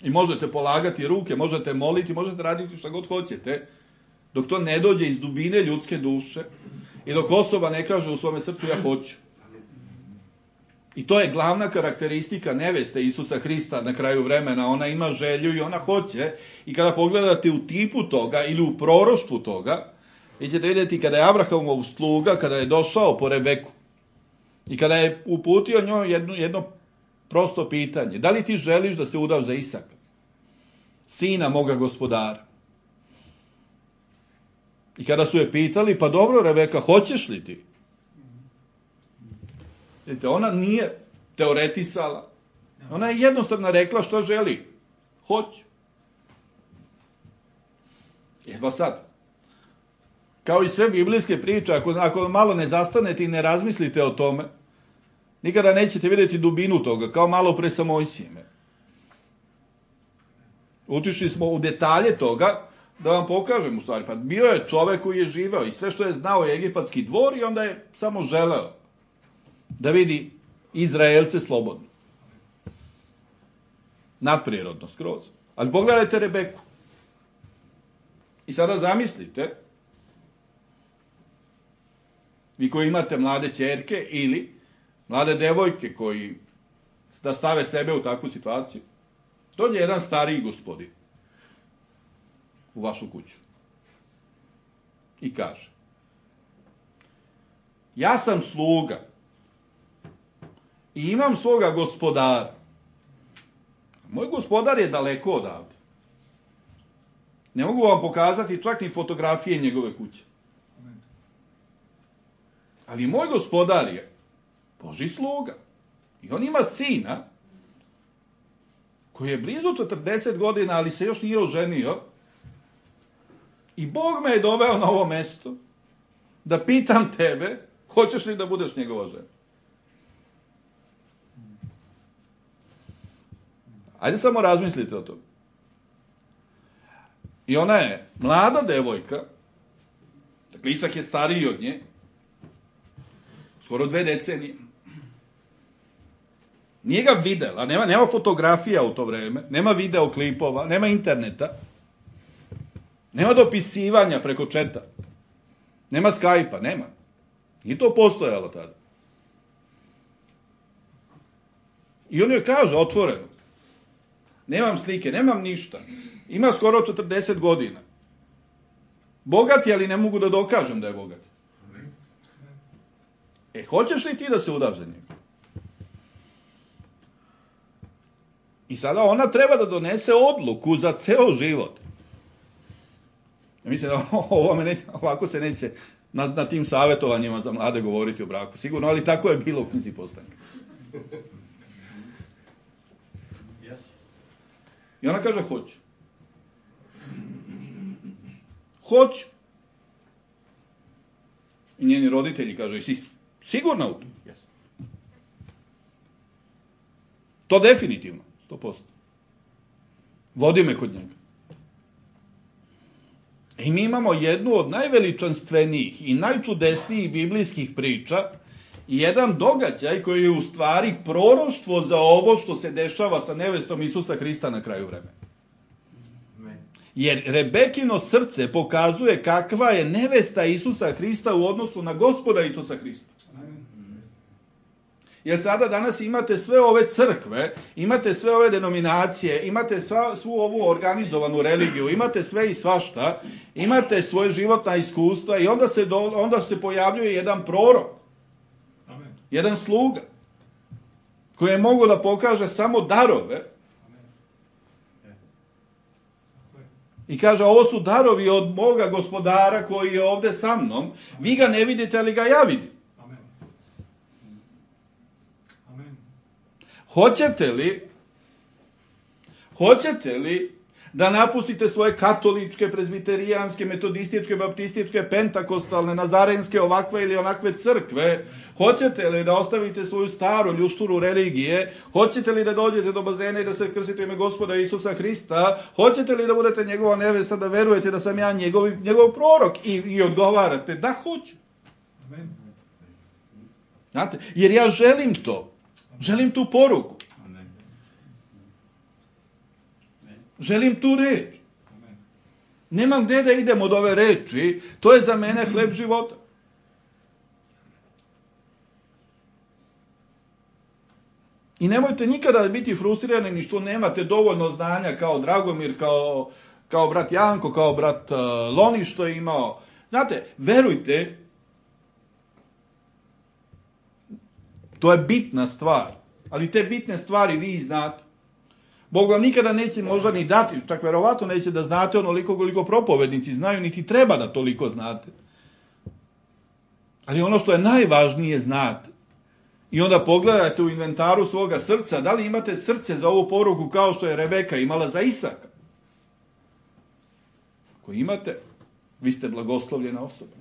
I možete polagati ruke, možete moliti, možete raditi šta god hoćete, dok to ne dođe iz dubine ljudske duše i dok osoba ne kaže u svome srcu ja hoću. I to je glavna karakteristika neveste Isusa Hrista na kraju vremena. Ona ima želju i ona hoće. I kada pogledate u tipu toga ili u proroštvu toga, vi ćete vidjeti kada je Abrahamov sluga, kada je došao po Rebeku i kada je uputio njoj jedno prosto pitanje. Da li ti želiš da se udaš za Isaka, sina moga gospodara? I kada su je pitali, pa dobro Rebeka, hoćeš li ti? Vidite, ona nije teoretisala. Ona je jednostavno rekla što želi. Hoću. Pa sad, kao i sve biblijske priče, ako malo ne zastanete i ne razmislite o tome, nikada nećete vidjeti dubinu toga, kao malo pre sa Mojsijem. Utišli smo u detalje toga, da vam pokažem u stvari. Pa bio je čovek koji je živeo i sve što je znao je egipatski dvor i onda je samo želeo da vidi Izraelce slobodno. Nadprirodno, skroz. Ali pogledajte Rebeku. I sada zamislite, vi koji imate mlade ćerke ili mlade devojke koji da stave sebe u takvu situaciju, dođe jedan stariji gospodin u vašu kuću i kaže: ja sam sluga i imam svoga gospodara. Moj gospodar je daleko odavde. Ne mogu vam pokazati čak ni fotografije njegove kuće. Ali moj gospodar je Božji sluga. I on ima sina koji je blizu 40 godina, ali se još nije oženio. I Bog me je doveo na ovo mesto da pitam tebe, hoćeš li da budeš njegova žena? Ajde samo razmislite o tome. I ona je mlada devojka, dakle Isak je stariji od nje, skoro 2 decenije. Nije ga videla, nema fotografija u to vreme, nema videoklipova, nema interneta, nema dopisivanja preko četa, nema Skype-a, nema. Nije to postojalo tada. I on joj kaže otvoreno: nemam slike, nemam ništa. Ima skoro 40 godina. Bogat je, ali ne mogu da dokažem da je bogat. Hoćeš li ti da se udaš za njega? I sada ona treba da donese odluku za ceo život. Ja mislim da ovako se neće na tim savjetovanjima za mlade govoriti o braku. Sigurno, ali tako je bilo u knjizi Postanka. I ona kaže: hoću. Hoću. I njeni roditelji kažu: jesi sigurna u to? Jes. To definitivno, 100%. Vodi me kod njega. I mi imamo jednu od najveličanstvenijih i najčudesnijih biblijskih priča i jedan događaj koji je u stvari proroštvo za ovo što se dešava sa nevestom Isusa Hrista na kraju vremena. Jer Rebekino srce pokazuje kakva je nevesta Isusa Hrista u odnosu na Gospoda Isusa Hrista. Jer sada danas imate sve ove crkve, imate sve ove denominacije, imate svu ovu organizovanu religiju, imate sve i svašta, imate svoje životna iskustva i onda se pojavljuje jedan prorok, jedan sluga, koji je mogu da pokaže samo darove. I kaže: ovo su darovi od moga gospodara koji je ovde sa mnom. Vi ga ne vidite, ali ga ja vidim. Hoćete li da napustite svoje katoličke, prezbiterijanske, metodističke, baptističke, pentakostalne, nazarenske, ovakve ili onakve crkve? Hoćete li da ostavite svoju staru ljušturu religije? Hoćete li da dođete do bazena i da se krstite u ime Gospoda Isusa Hrista? Hoćete li da budete njegova nevesta, da verujete da sam ja njegov prorok? I odgovarate: da, hoću. Znate, jer ja želim to. Želim tu poruku. Želim tu reč. Nemam gde da idem od ove reči. To je za mene hleb života. I nemojte nikada biti frustrirani ni što nemate dovoljno znanja kao Dragomir, kao brat Janko, kao brat Loni što je imao. Znate, verujte, to je bitna stvar. Ali te bitne stvari vi znate. Bog vam nikada neće možda ni dati, čak verovatno neće da znate onoliko koliko propovednici znaju, niti treba da toliko znate. Ali ono što je najvažnije znate. I onda pogledajte u inventaru svoga srca, da li imate srce za ovu poruku kao što je Rebeka imala za Isaka. Ako imate, vi ste blagoslovljena osoba.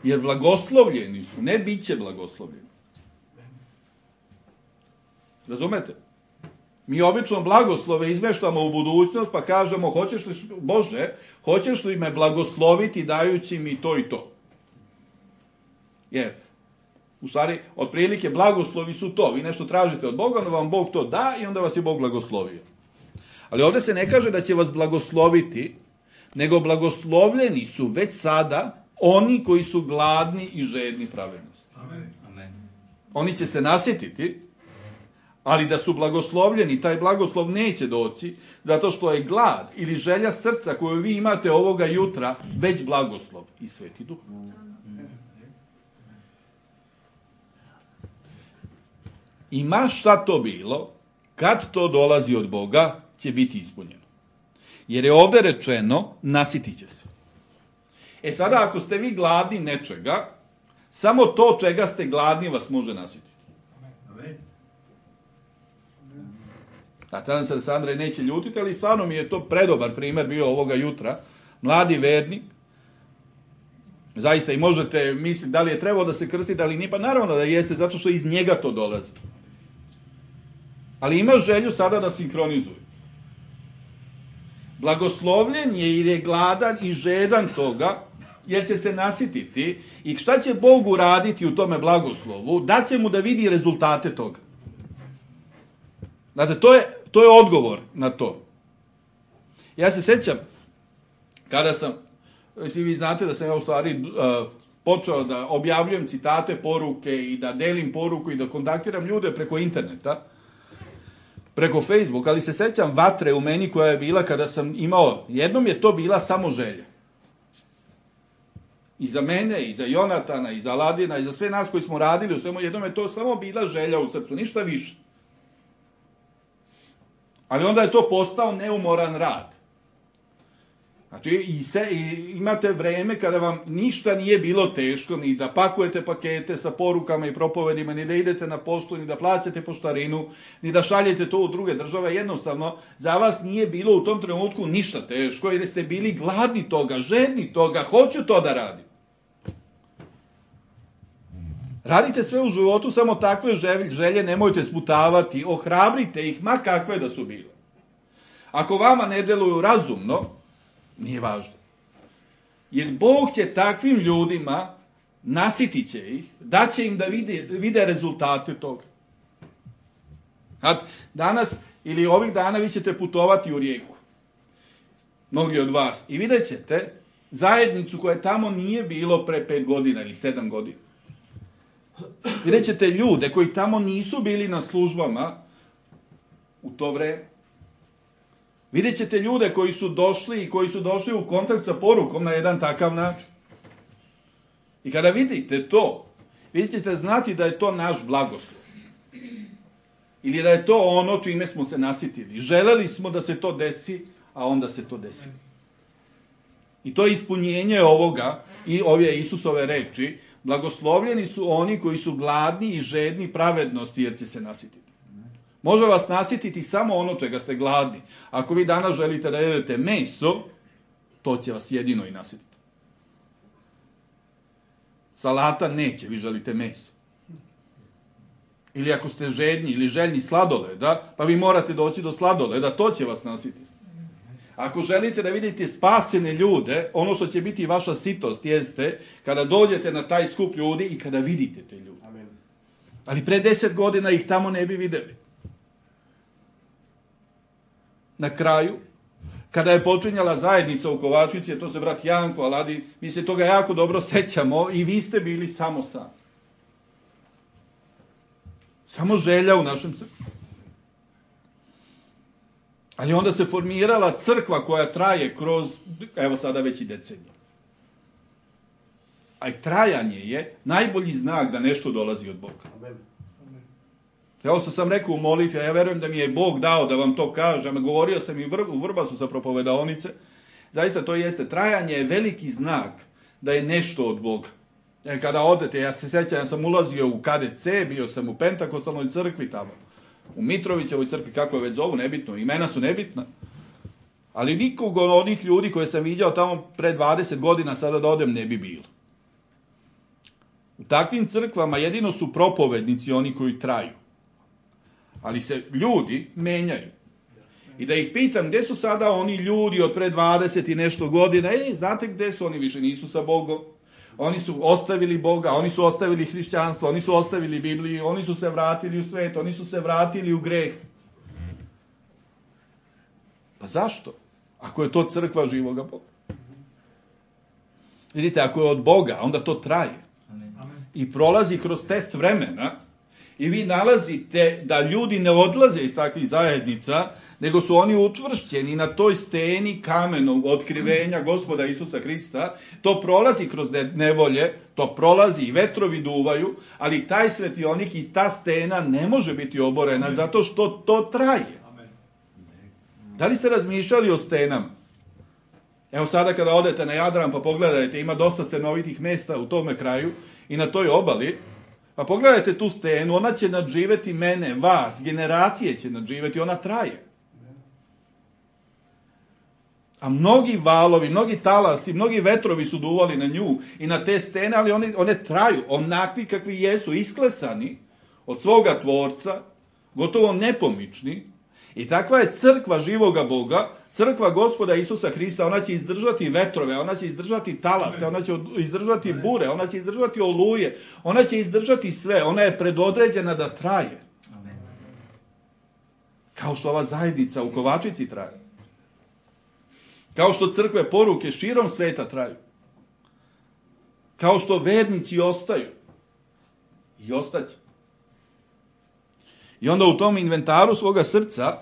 Jer blagoslovljeni su, ne biće blagoslovljeni. Razumete? Mi obično blagoslove izmeštamo u budućnost, pa kažemo, Bože, hoćeš li me blagosloviti dajući mi to i to? Jer, u stvari, otprilike, blagoslovi su to. Vi nešto tražite od Boga, onda vam Bog to da i onda vas je Bog blagoslovio. Ali ovdje se ne kaže da će vas blagosloviti, nego blagoslovljeni su već sada oni koji su gladni i žedni pravednosti. Amen. Oni će se nasjetiti, ali da su blagoslovljeni, taj blagoslov neće doći, zato što je glad ili želja srca koju vi imate ovoga jutra, već blagoslov i Sveti Duh. I ma šta to bilo, kad to dolazi od Boga, će biti ispunjeno. Jer je ovdje rečeno, nasitit će se. E sada, ako ste vi gladni nečega, samo to čega ste gladni vas može nasititi. Nadam se da se Andrej neće ljutiti, ali stvarno mi je to predobar primjer bio ovoga jutra. Mladi vernik, zaista i možete misliti da li je trebao da se krstite, ali nije, pa naravno da jeste, zato što iz njega to dolazi. Ali ima želju sada da sinkronizuje. Blagoslovljen je jer je gladan i žedan toga, jer će se nasititi. I šta će Bog uraditi u tome blagoslovu? Daće mu da vidi rezultate toga. Znate, to je odgovor na to. Ja se sjećam, kada sam, vi znate da sam ja u stvari počeo da objavljujem citate, poruke i da delim poruku i da kontaktiram ljude preko interneta, preko Facebooka, ali se sjećam vatre u meni koja je bila kada sam imao, jednom je to bila samo želja. I za mene, i za Jonatana, i za Aladina, i za sve nas koji smo radili u svemu, jednom je to samo bila želja u srcu, ništa više. Ali onda je to postao neumoran rad. Znači, imate vreme kada vam ništa nije bilo teško, ni da pakujete pakete sa porukama i propovedima, ni da idete na poštu, ni da plaćate poštarinu, ni da šaljete to u druge države. Jednostavno, za vas nije bilo u tom trenutku ništa teško, jer ste bili gladni toga, žedni toga, hoću to da radim. Radite sve u životu, samo takve želje nemojte sputavati, ohrabrite ih, ma kakve da su bile. Ako vama ne deluju razumno, nije važno. Jer Bog će takvim ljudima, nasitit će ih, daće im da vide rezultate toga. Danas ili ovih dana vi ćete putovati u Rijeku. Mnogi od vas. I vidjet ćete zajednicu koja tamo nije bilo pre 5 godina ili 7 godina. Vidjet ćete ljude koji tamo nisu bili na službama u to vreme. Vidjet ćete ljude koji su došli u kontakt sa porukom na jedan takav način. I kada vidite to, vidjet ćete znati da je to naš blagoslov. Ili da je to ono čime smo se nasitili. Želeli smo da se to desi, a onda se to desi. I to je ispunjenje ovoga i ove Isusove reči. Blagoslovljeni su oni koji su gladni i žedni pravednosti, jer će se nasititi. Može vas nasititi samo ono čega ste gladni. Ako vi danas želite da jedete meso, to će vas jedino i nasititi. Salata neće, vi želite meso. Ili ako ste žedni ili željni sladoleda, pa vi morate doći do sladoleda, to će vas nasititi. Ako želite da vidite spasene ljude, ono što će biti vaša sitost jeste kada dođete na taj skup ljudi i kada vidite te ljude. Amen. Ali pre 10 godina ih tamo ne bi videli. Na kraju, kada je počinjala zajednica u Kovačici, to se brat Janko, Aladi, mi se toga jako dobro sećamo i vi ste bili samo sami. Samo želja u našem srcu. Ali onda se formirala crkva koja traje kroz, evo sada već i decenije. A i trajanje je najbolji znak da nešto dolazi od Boga. Amen. Evo što sam rekao u molitvi, a ja verujem da mi je Bog dao da vam to kažem, govorio sam i u Vrbasu sa propovedaonice, zaista to jeste, trajanje je veliki znak da je nešto od Boga. Kada odete, ja se sjećam, ja sam ulazio u KDC, bio sam u Pentakostalnoj crkvi tamo, u Mitrovićevoj crkvi, kako je već zovu, nebitno, imena su nebitna, ali nikog od onih ljudi koje sam vidio tamo pre 20 godina sada da odem ne bi bilo. U takvim crkvama jedino su propovednici oni koji traju. Ali se ljudi menjaju. I da ih pitam gdje su sada oni ljudi od pre 20 i nešto godina, znate gdje su, oni više nisu sa Bogom. Oni su ostavili Boga, oni su ostavili hrišćanstvo, oni su ostavili Bibliju, oni su se vratili u svet, oni su se vratili u greh. Pa zašto? Ako je to crkva živoga Boga. Vidite, ako je od Boga, onda to traje. I prolazi kroz test vremena i vi nalazite da ljudi ne odlaze iz takvih zajednica, nego su oni učvršćeni na toj steni kamenog otkrivenja Gospoda Isusa Hrista. To prolazi kroz nevolje, to prolazi i vetrovi duvaju, ali taj svetionik i ta stena ne može biti oborena zato što to traje. Da li ste razmišljali o stenama? Evo sada kada odete na Jadran pa pogledajte, ima dosta stenovitih mjesta u tome kraju i na toj obali, pa pogledajte tu stenu, ona će nadživjeti mene, vas, generacije će nadživjeti, ona traje. A mnogi valovi, mnogi talasi, mnogi vetrovi su duvali na nju i na te stene, ali one traju, onakvi kakvi jesu, isklesani od svoga tvorca, gotovo nepomični. I takva je crkva živoga Boga, crkva Gospoda Isusa Hrista. Ona će izdržati vetrove, ona će izdržati talase, ona će izdržati bure, ona će izdržati oluje, ona će izdržati sve, ona je predodređena da traje. Kao što ova zajednica u Kovačici traje. Kao što crkve poruke širom sveta traju. Kao što vernici ostaju. I ostaće. I onda u tom inventaru svoga srca,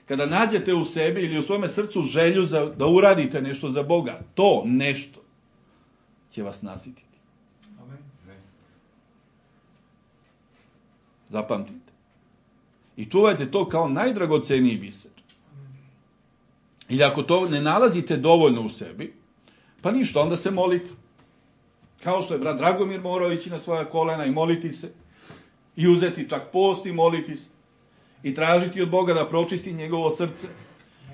kada nađete u sebi ili u svome srcu želju da uradite nešto za Boga, to nešto će vas nasititi. Zapamtite. I čuvajte to kao najdragoceniji biser. I ako to ne nalazite dovoljno u sebi, pa ništa, onda se molite. Kao što je brat Dragomir morao ići na svoja kolena i moliti se. I uzeti čak post i moliti se. I tražiti od Boga da pročisti njegovo srce.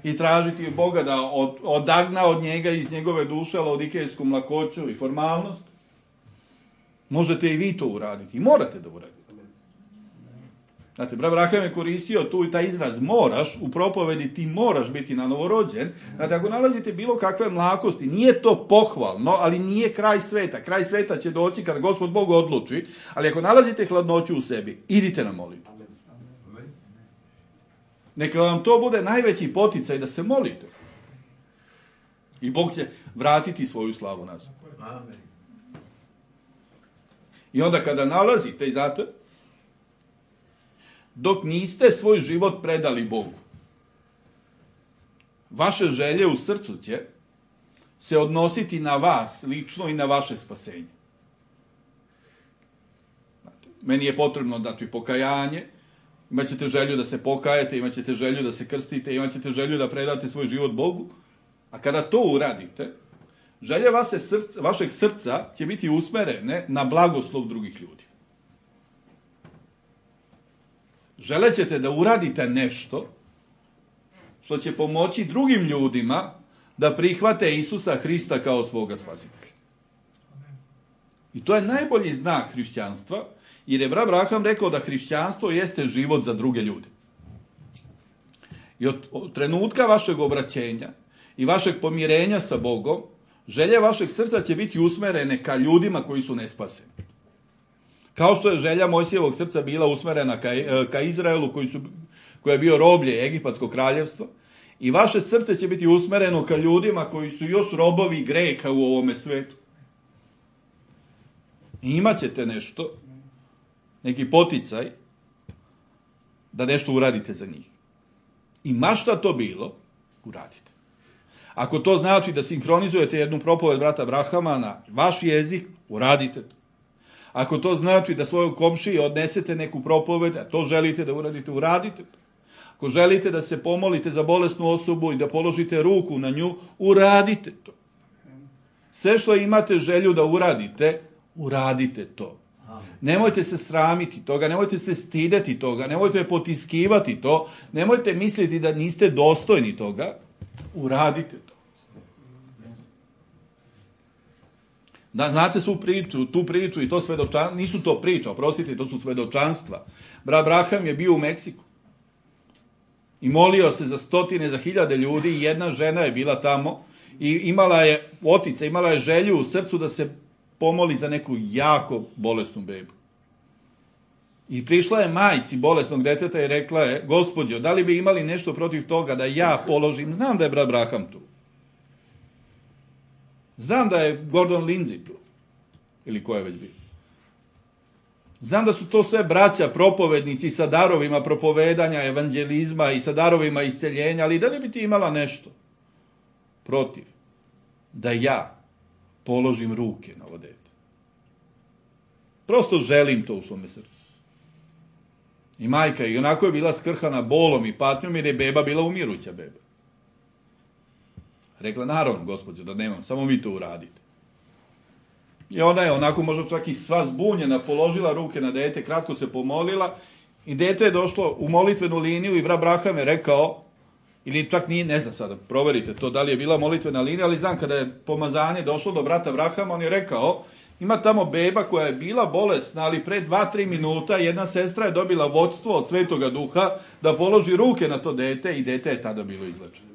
I tražiti od Boga da odagna od njega iz njegove duše laodikejsku mlakoću i formalnost. Možete i vi to uraditi. I morate da uradite. Znate, brat Braham je koristio tu i taj izraz moraš, u propovedi ti moraš biti na novorođen. Znate, ako nalazite bilo kakve mlakosti, nije to pohvalno, ali nije kraj sveta. Kraj sveta će doći kad Gospod Bog odluči, ali ako nalazite hladnoću u sebi, idite na molitvu. Neka vam to bude najveći poticaj da se molite. I Bog će vratiti svoju slavu nazad. I onda kada nalazite, znate, dok niste svoj život predali Bogu, vaše želje u srcu će se odnositi na vas lično i na vaše spasenje. Meni je potrebno, znači, pokajanje, imaćete želju da se pokajete, imaćete želju da se krstite, imaćete želju da predate svoj život Bogu, a kada to uradite, želje vašeg srca će biti usmerene na blagoslov drugih ljudi. Želećete da uradite nešto što će pomoći drugim ljudima da prihvate Isusa Hrista kao svoga spasitelja. I to je najbolji znak hrišćanstva, jer je brat Braham rekao da hrišćanstvo jeste život za druge ljude. I od trenutka vašeg obraćenja i vašeg pomirenja sa Bogom, želje vašeg srca će biti usmerene ka ljudima koji su nespaseni. Kao što je želja Mojsijevog srca bila usmerena ka Izraelu, koji je bio roblje Egipatskog kraljevstva, i vaše srce će biti usmereno ka ljudima koji su još robovi greha u ovome svetu. I imat ćete nešto, neki poticaj, da nešto uradite za njih. I ma šta to bilo, uradite. Ako to znači da sinhronizujete jednu propoved brata Brahama na vaš jezik, uradite to. Ako to znači da svojoj komšiji odnesete neku propoved, a to želite da uradite, uradite to. Ako želite da se pomolite za bolesnu osobu i da položite ruku na nju, uradite to. Sve što imate želju da uradite, uradite to. Nemojte se sramiti toga, nemojte se stideti toga, nemojte potiskivati to, nemojte misliti da niste dostojni toga, uradite to. Da, znate svu priču, tu priču i to svedočanstvo, nisu to priča, oprostite, to su svedočanstva. Brat Braham je bio u Meksiku i molio se za stotine, za hiljade ljudi i jedna žena je bila tamo i imala je želju u srcu da se pomoli za neku jako bolesnu bebu. I prišla je majci bolesnog deteta i rekla je, Gospođo, da li bi imali nešto protiv toga da ja položim, znam da je brat Braham tu, znam da je Gordon Lindsay tu, ili ko je već bio. Znam da su to sve braća propovednici sa darovima propovedanja, evanđelizma i sa darovima isceljenja, ali da li bi ti imala nešto protiv da ja položim ruke na ovo dete? Prosto želim to u svome srcu. I majka i onako je bila skrhana bolom i patnjom jer je beba bila umiruća beba. Rekla, naravno, gospođo, da nemam, samo vi to uradite. I ona je onako možda čak i sva zbunjena, položila ruke na dete, kratko se pomolila i dete je došlo u molitvenu liniju i brat Braham je rekao, ili čak nije, ne znam sada, proverite to da li je bila molitvena linija, ali znam kada je pomazanje došlo do brata Brahama, on je rekao, ima tamo beba koja je bila bolesna, ali pre 2-3 minuta jedna sestra je dobila vodstvo od Svetoga Duha da položi ruke na to dete i dete je tada bilo izlečeno.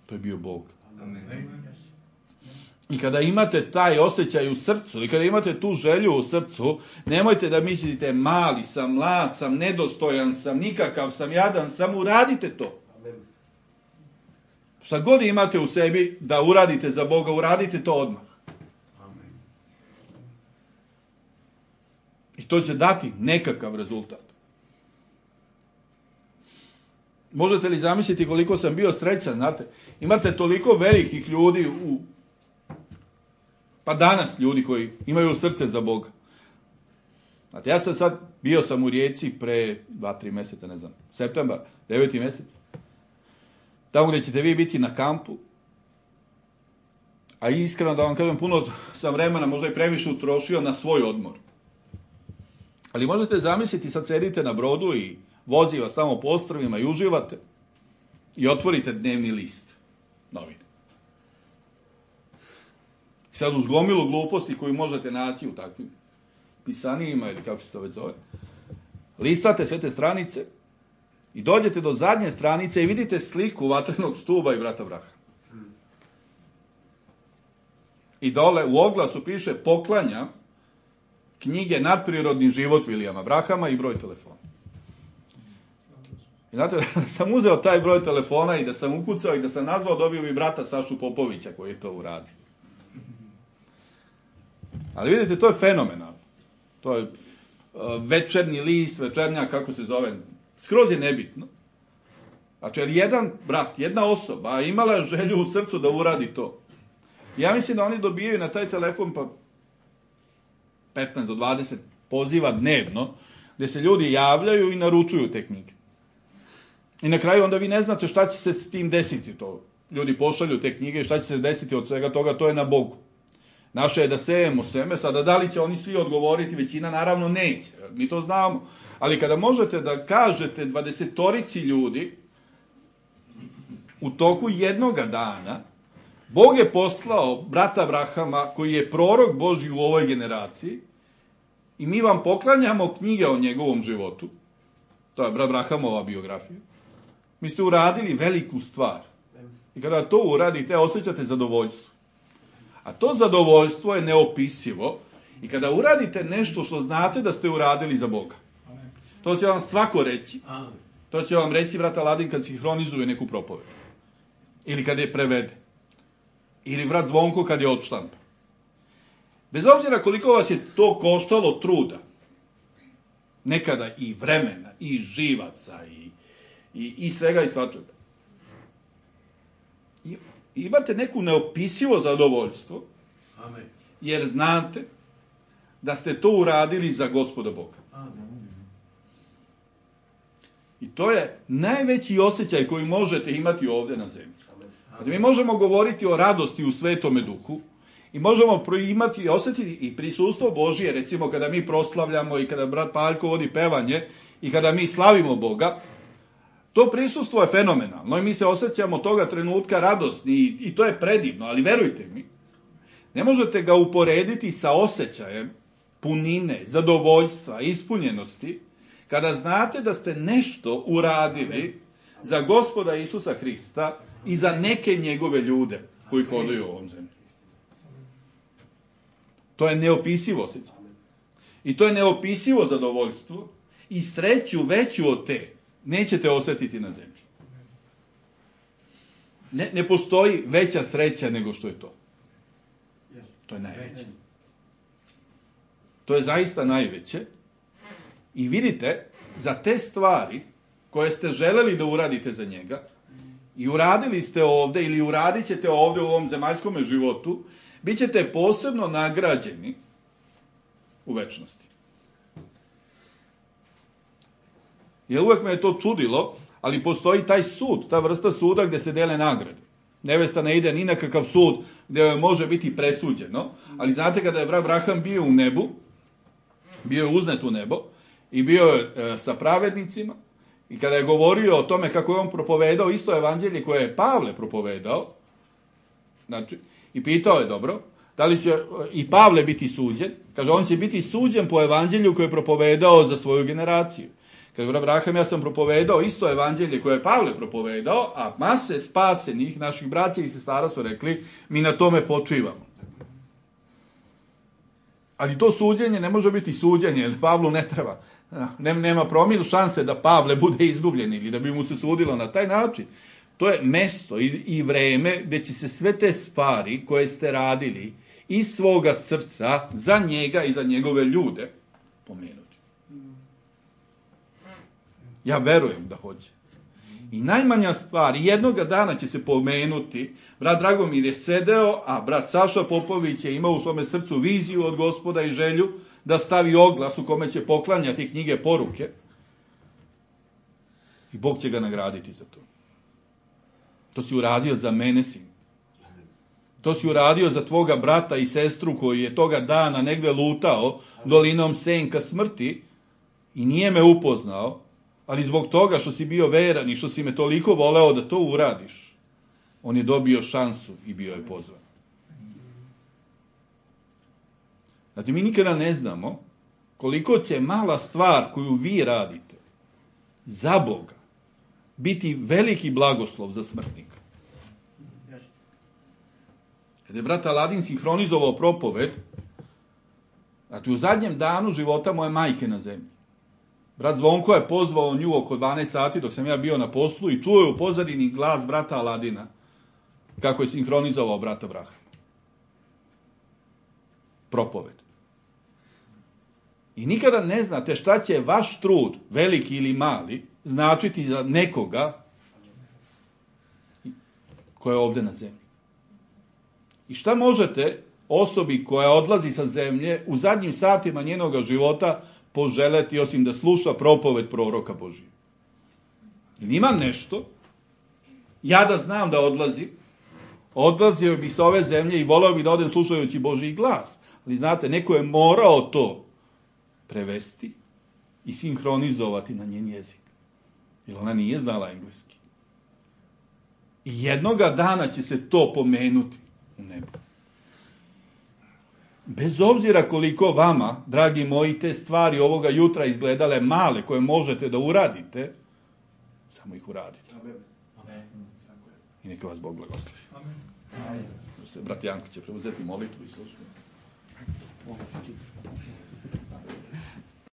To je bio Bog. I kada imate taj osjećaj u srcu i kada imate tu želju u srcu, nemojte da mislite mali sam, mlad sam, nedostojan sam, nikakav sam, jadan sam, uradite to. Šta god imate u sebi da uradite za Boga, uradite to odmah. I to će dati nekakav rezultat. Možete li zamisliti koliko sam bio srećan, znate? Imate toliko velikih ljudi pa danas ljudi koji imaju srce za Boga. Znate, ja sad bio sam u Rijeci pre 2-3 mjeseca, ne znam, septembar, 9. mjesec. Tamo gdje ćete vi biti na kampu. A iskreno da vam kažem, puno sam vremena, možda i previše utrošio na svoj odmor. Ali možete zamisliti, sad sedite na brodu i vozi vas tamo po ostrvima i uživate i otvorite dnevni list, novine. Sad uz gomilu gluposti koju možete naći u takvim pisanijima ili kako se to već zove, listate sve te stranice i dođete do zadnje stranice i vidite sliku vatrenog stuba i brata Braha. I dole u oglasu piše poklanja knjige Nadprirodni život Vilijama Brahama i broj telefona. I znate, da sam uzeo taj broj telefona i da sam ukucao i da sam nazvao, dobio bi brata Sašu Popovića koji je to uradio. Ali vidite, to je fenomenalno. To je večernji list, večernja, kako se zove, skroz je nebitno. Znači, jer jedan brat, jedna osoba imala je želju u srcu da uradi to. Ja mislim da oni dobijaju na taj telefon pa 15 do 20 poziva dnevno, gdje se ljudi javljaju i naručuju te knjige. I na kraju onda vi ne znate šta će se s tim desiti to. Ljudi pošalju te knjige i šta će se desiti od svega toga, to je na Bogu. Naše je da sejemo seme, sada da li će oni svi odgovoriti, većina naravno neće, mi to znamo. Ali kada možete da kažete 20 ljudi u toku jednoga dana, Bog je poslao brata Brahama, koji je prorok Božji u ovoj generaciji, i mi vam poklanjamo knjige o njegovom životu, to je brat Brahamova biografija, mi ste uradili veliku stvar. I kada to uradite, osjećate zadovoljstvo. A to zadovoljstvo je neopisivo i kada uradite nešto što znate da ste uradili za Boga. To će vam svako reći. To će vam reći brat Aladin kad sinhronizuje neku propoved. Ili kad je prevede. Ili brat Zvonko kad je odštampa. Bez obzira koliko vas je to koštalo truda, nekada i vremena, i živaca, i svega i svačega. Imate neku neopisivo zadovoljstvo, jer znate da ste to uradili za Gospoda Boga. I to je najveći osjećaj koji možete imati ovdje na zemlji. Znači, mi možemo govoriti o radosti u Svetome Duhu i možemo imati i osjetiti i prisustvo Božije, recimo kada mi proslavljamo i kada brat Paljko vodi pevanje i kada mi slavimo Boga. To prisustvo je fenomenalno i mi se osjećamo toga trenutka radosni i to je predivno, ali verujte mi, ne možete ga uporediti sa osjećajem punine, zadovoljstva, ispunjenosti, Kada znate da ste nešto uradili za Gospoda Isusa Hrista i za neke njegove ljude koji hodaju u ovom zemlji. To je neopisivo osjećaj. I to je neopisivo zadovoljstvo i sreću veću od te nećete osjetiti na zemlji. Ne postoji veća sreća nego što je to. To je najveće. To je zaista najveće. I vidite, za te stvari koje ste želeli da uradite za njega i uradili ste ovde ili uradit ćete ovde u ovom zemaljskom životu, bit ćete posebno nagrađeni u večnosti. Jer uvek me je to čudilo, ali postoji taj sud, ta vrsta suda gde se dele nagrade. Nevesta ne ide ni na kakav sud gde joj može biti presuđeno, ali znate kada je brat Abraham bio u nebu, bio je uznet u nebo i bio je sa pravednicima i kada je govorio o tome kako je on propovedao isto evanđelje koje je Pavle propovedao, znači, i pitao je dobro, da li će i Pavle biti suđen, kaže on će biti suđen po evanđelju koje je propovedao za svoju generaciju. Kaže, brat Abraham, ja sam propovedao isto evanđelje koje je Pavle propovedao, a mase spasenih naših braća i sestara su rekli, mi na tome počivamo. Ali to suđenje ne može biti suđenje, jer Pavlu ne treba. Nema promil šanse da Pavle bude izgubljen ili da bi mu se sudilo na taj način. To je mesto i vreme gde će se sve te stvari koje ste radili iz svoga srca za njega i za njegove ljude pomenuti. Ja verujem da hoće. I najmanja stvar, jednoga dana će se pomenuti, brat Dragomir je sedeo, a brat Saša Popović je imao u svome srcu viziju od Gospoda i želju da stavi oglas u kome će poklanjati knjige poruke. I Bog će ga nagraditi za to. To si uradio za mene, sin. To si uradio za tvoga brata i sestru koji je toga dana negde lutao dolinom senka smrti i nije me upoznao, ali zbog toga što si bio veran i što si me toliko voleo da to uradiš, on je dobio šansu i bio je pozvan. Znači, mi nikada ne znamo koliko će mala stvar koju vi radite za Boga biti veliki blagoslov za smrtnika. Kada je brat Aladin sinhronizovao propoved, znači u zadnjem danu života moje majke na zemlji, brat Zvonko je pozvao nju oko 12 sati dok sam ja bio na poslu i čuo je u pozadini glas brata Aladina kako je sinhronizovao brata Abrahama. Propoved. I nikada ne znate šta će vaš trud, veliki ili mali, značiti za nekoga ko je ovde na zemlji. I šta možete osobi koja odlazi sa zemlje u zadnjim satima njenoga života poželeti osim da sluša propoved proroka Božije? Ili imam nešto, ja da znam da odlazio bi sa ove zemlje i voleo bi da odem slušajući Božiji glas. Ali znate, neko je morao to prevesti i sinhronizovati na njen jezik. Jer ona nije znala engleski. I jednoga dana će se to pomenuti u nebu. Bez obzira koliko vama, dragi moji, te stvari ovoga jutra izgledale male koje možete da uradite, samo ih uradite. I neka vas Bog blagoslovi. Brat Janko će preuzeti molitvu i službu.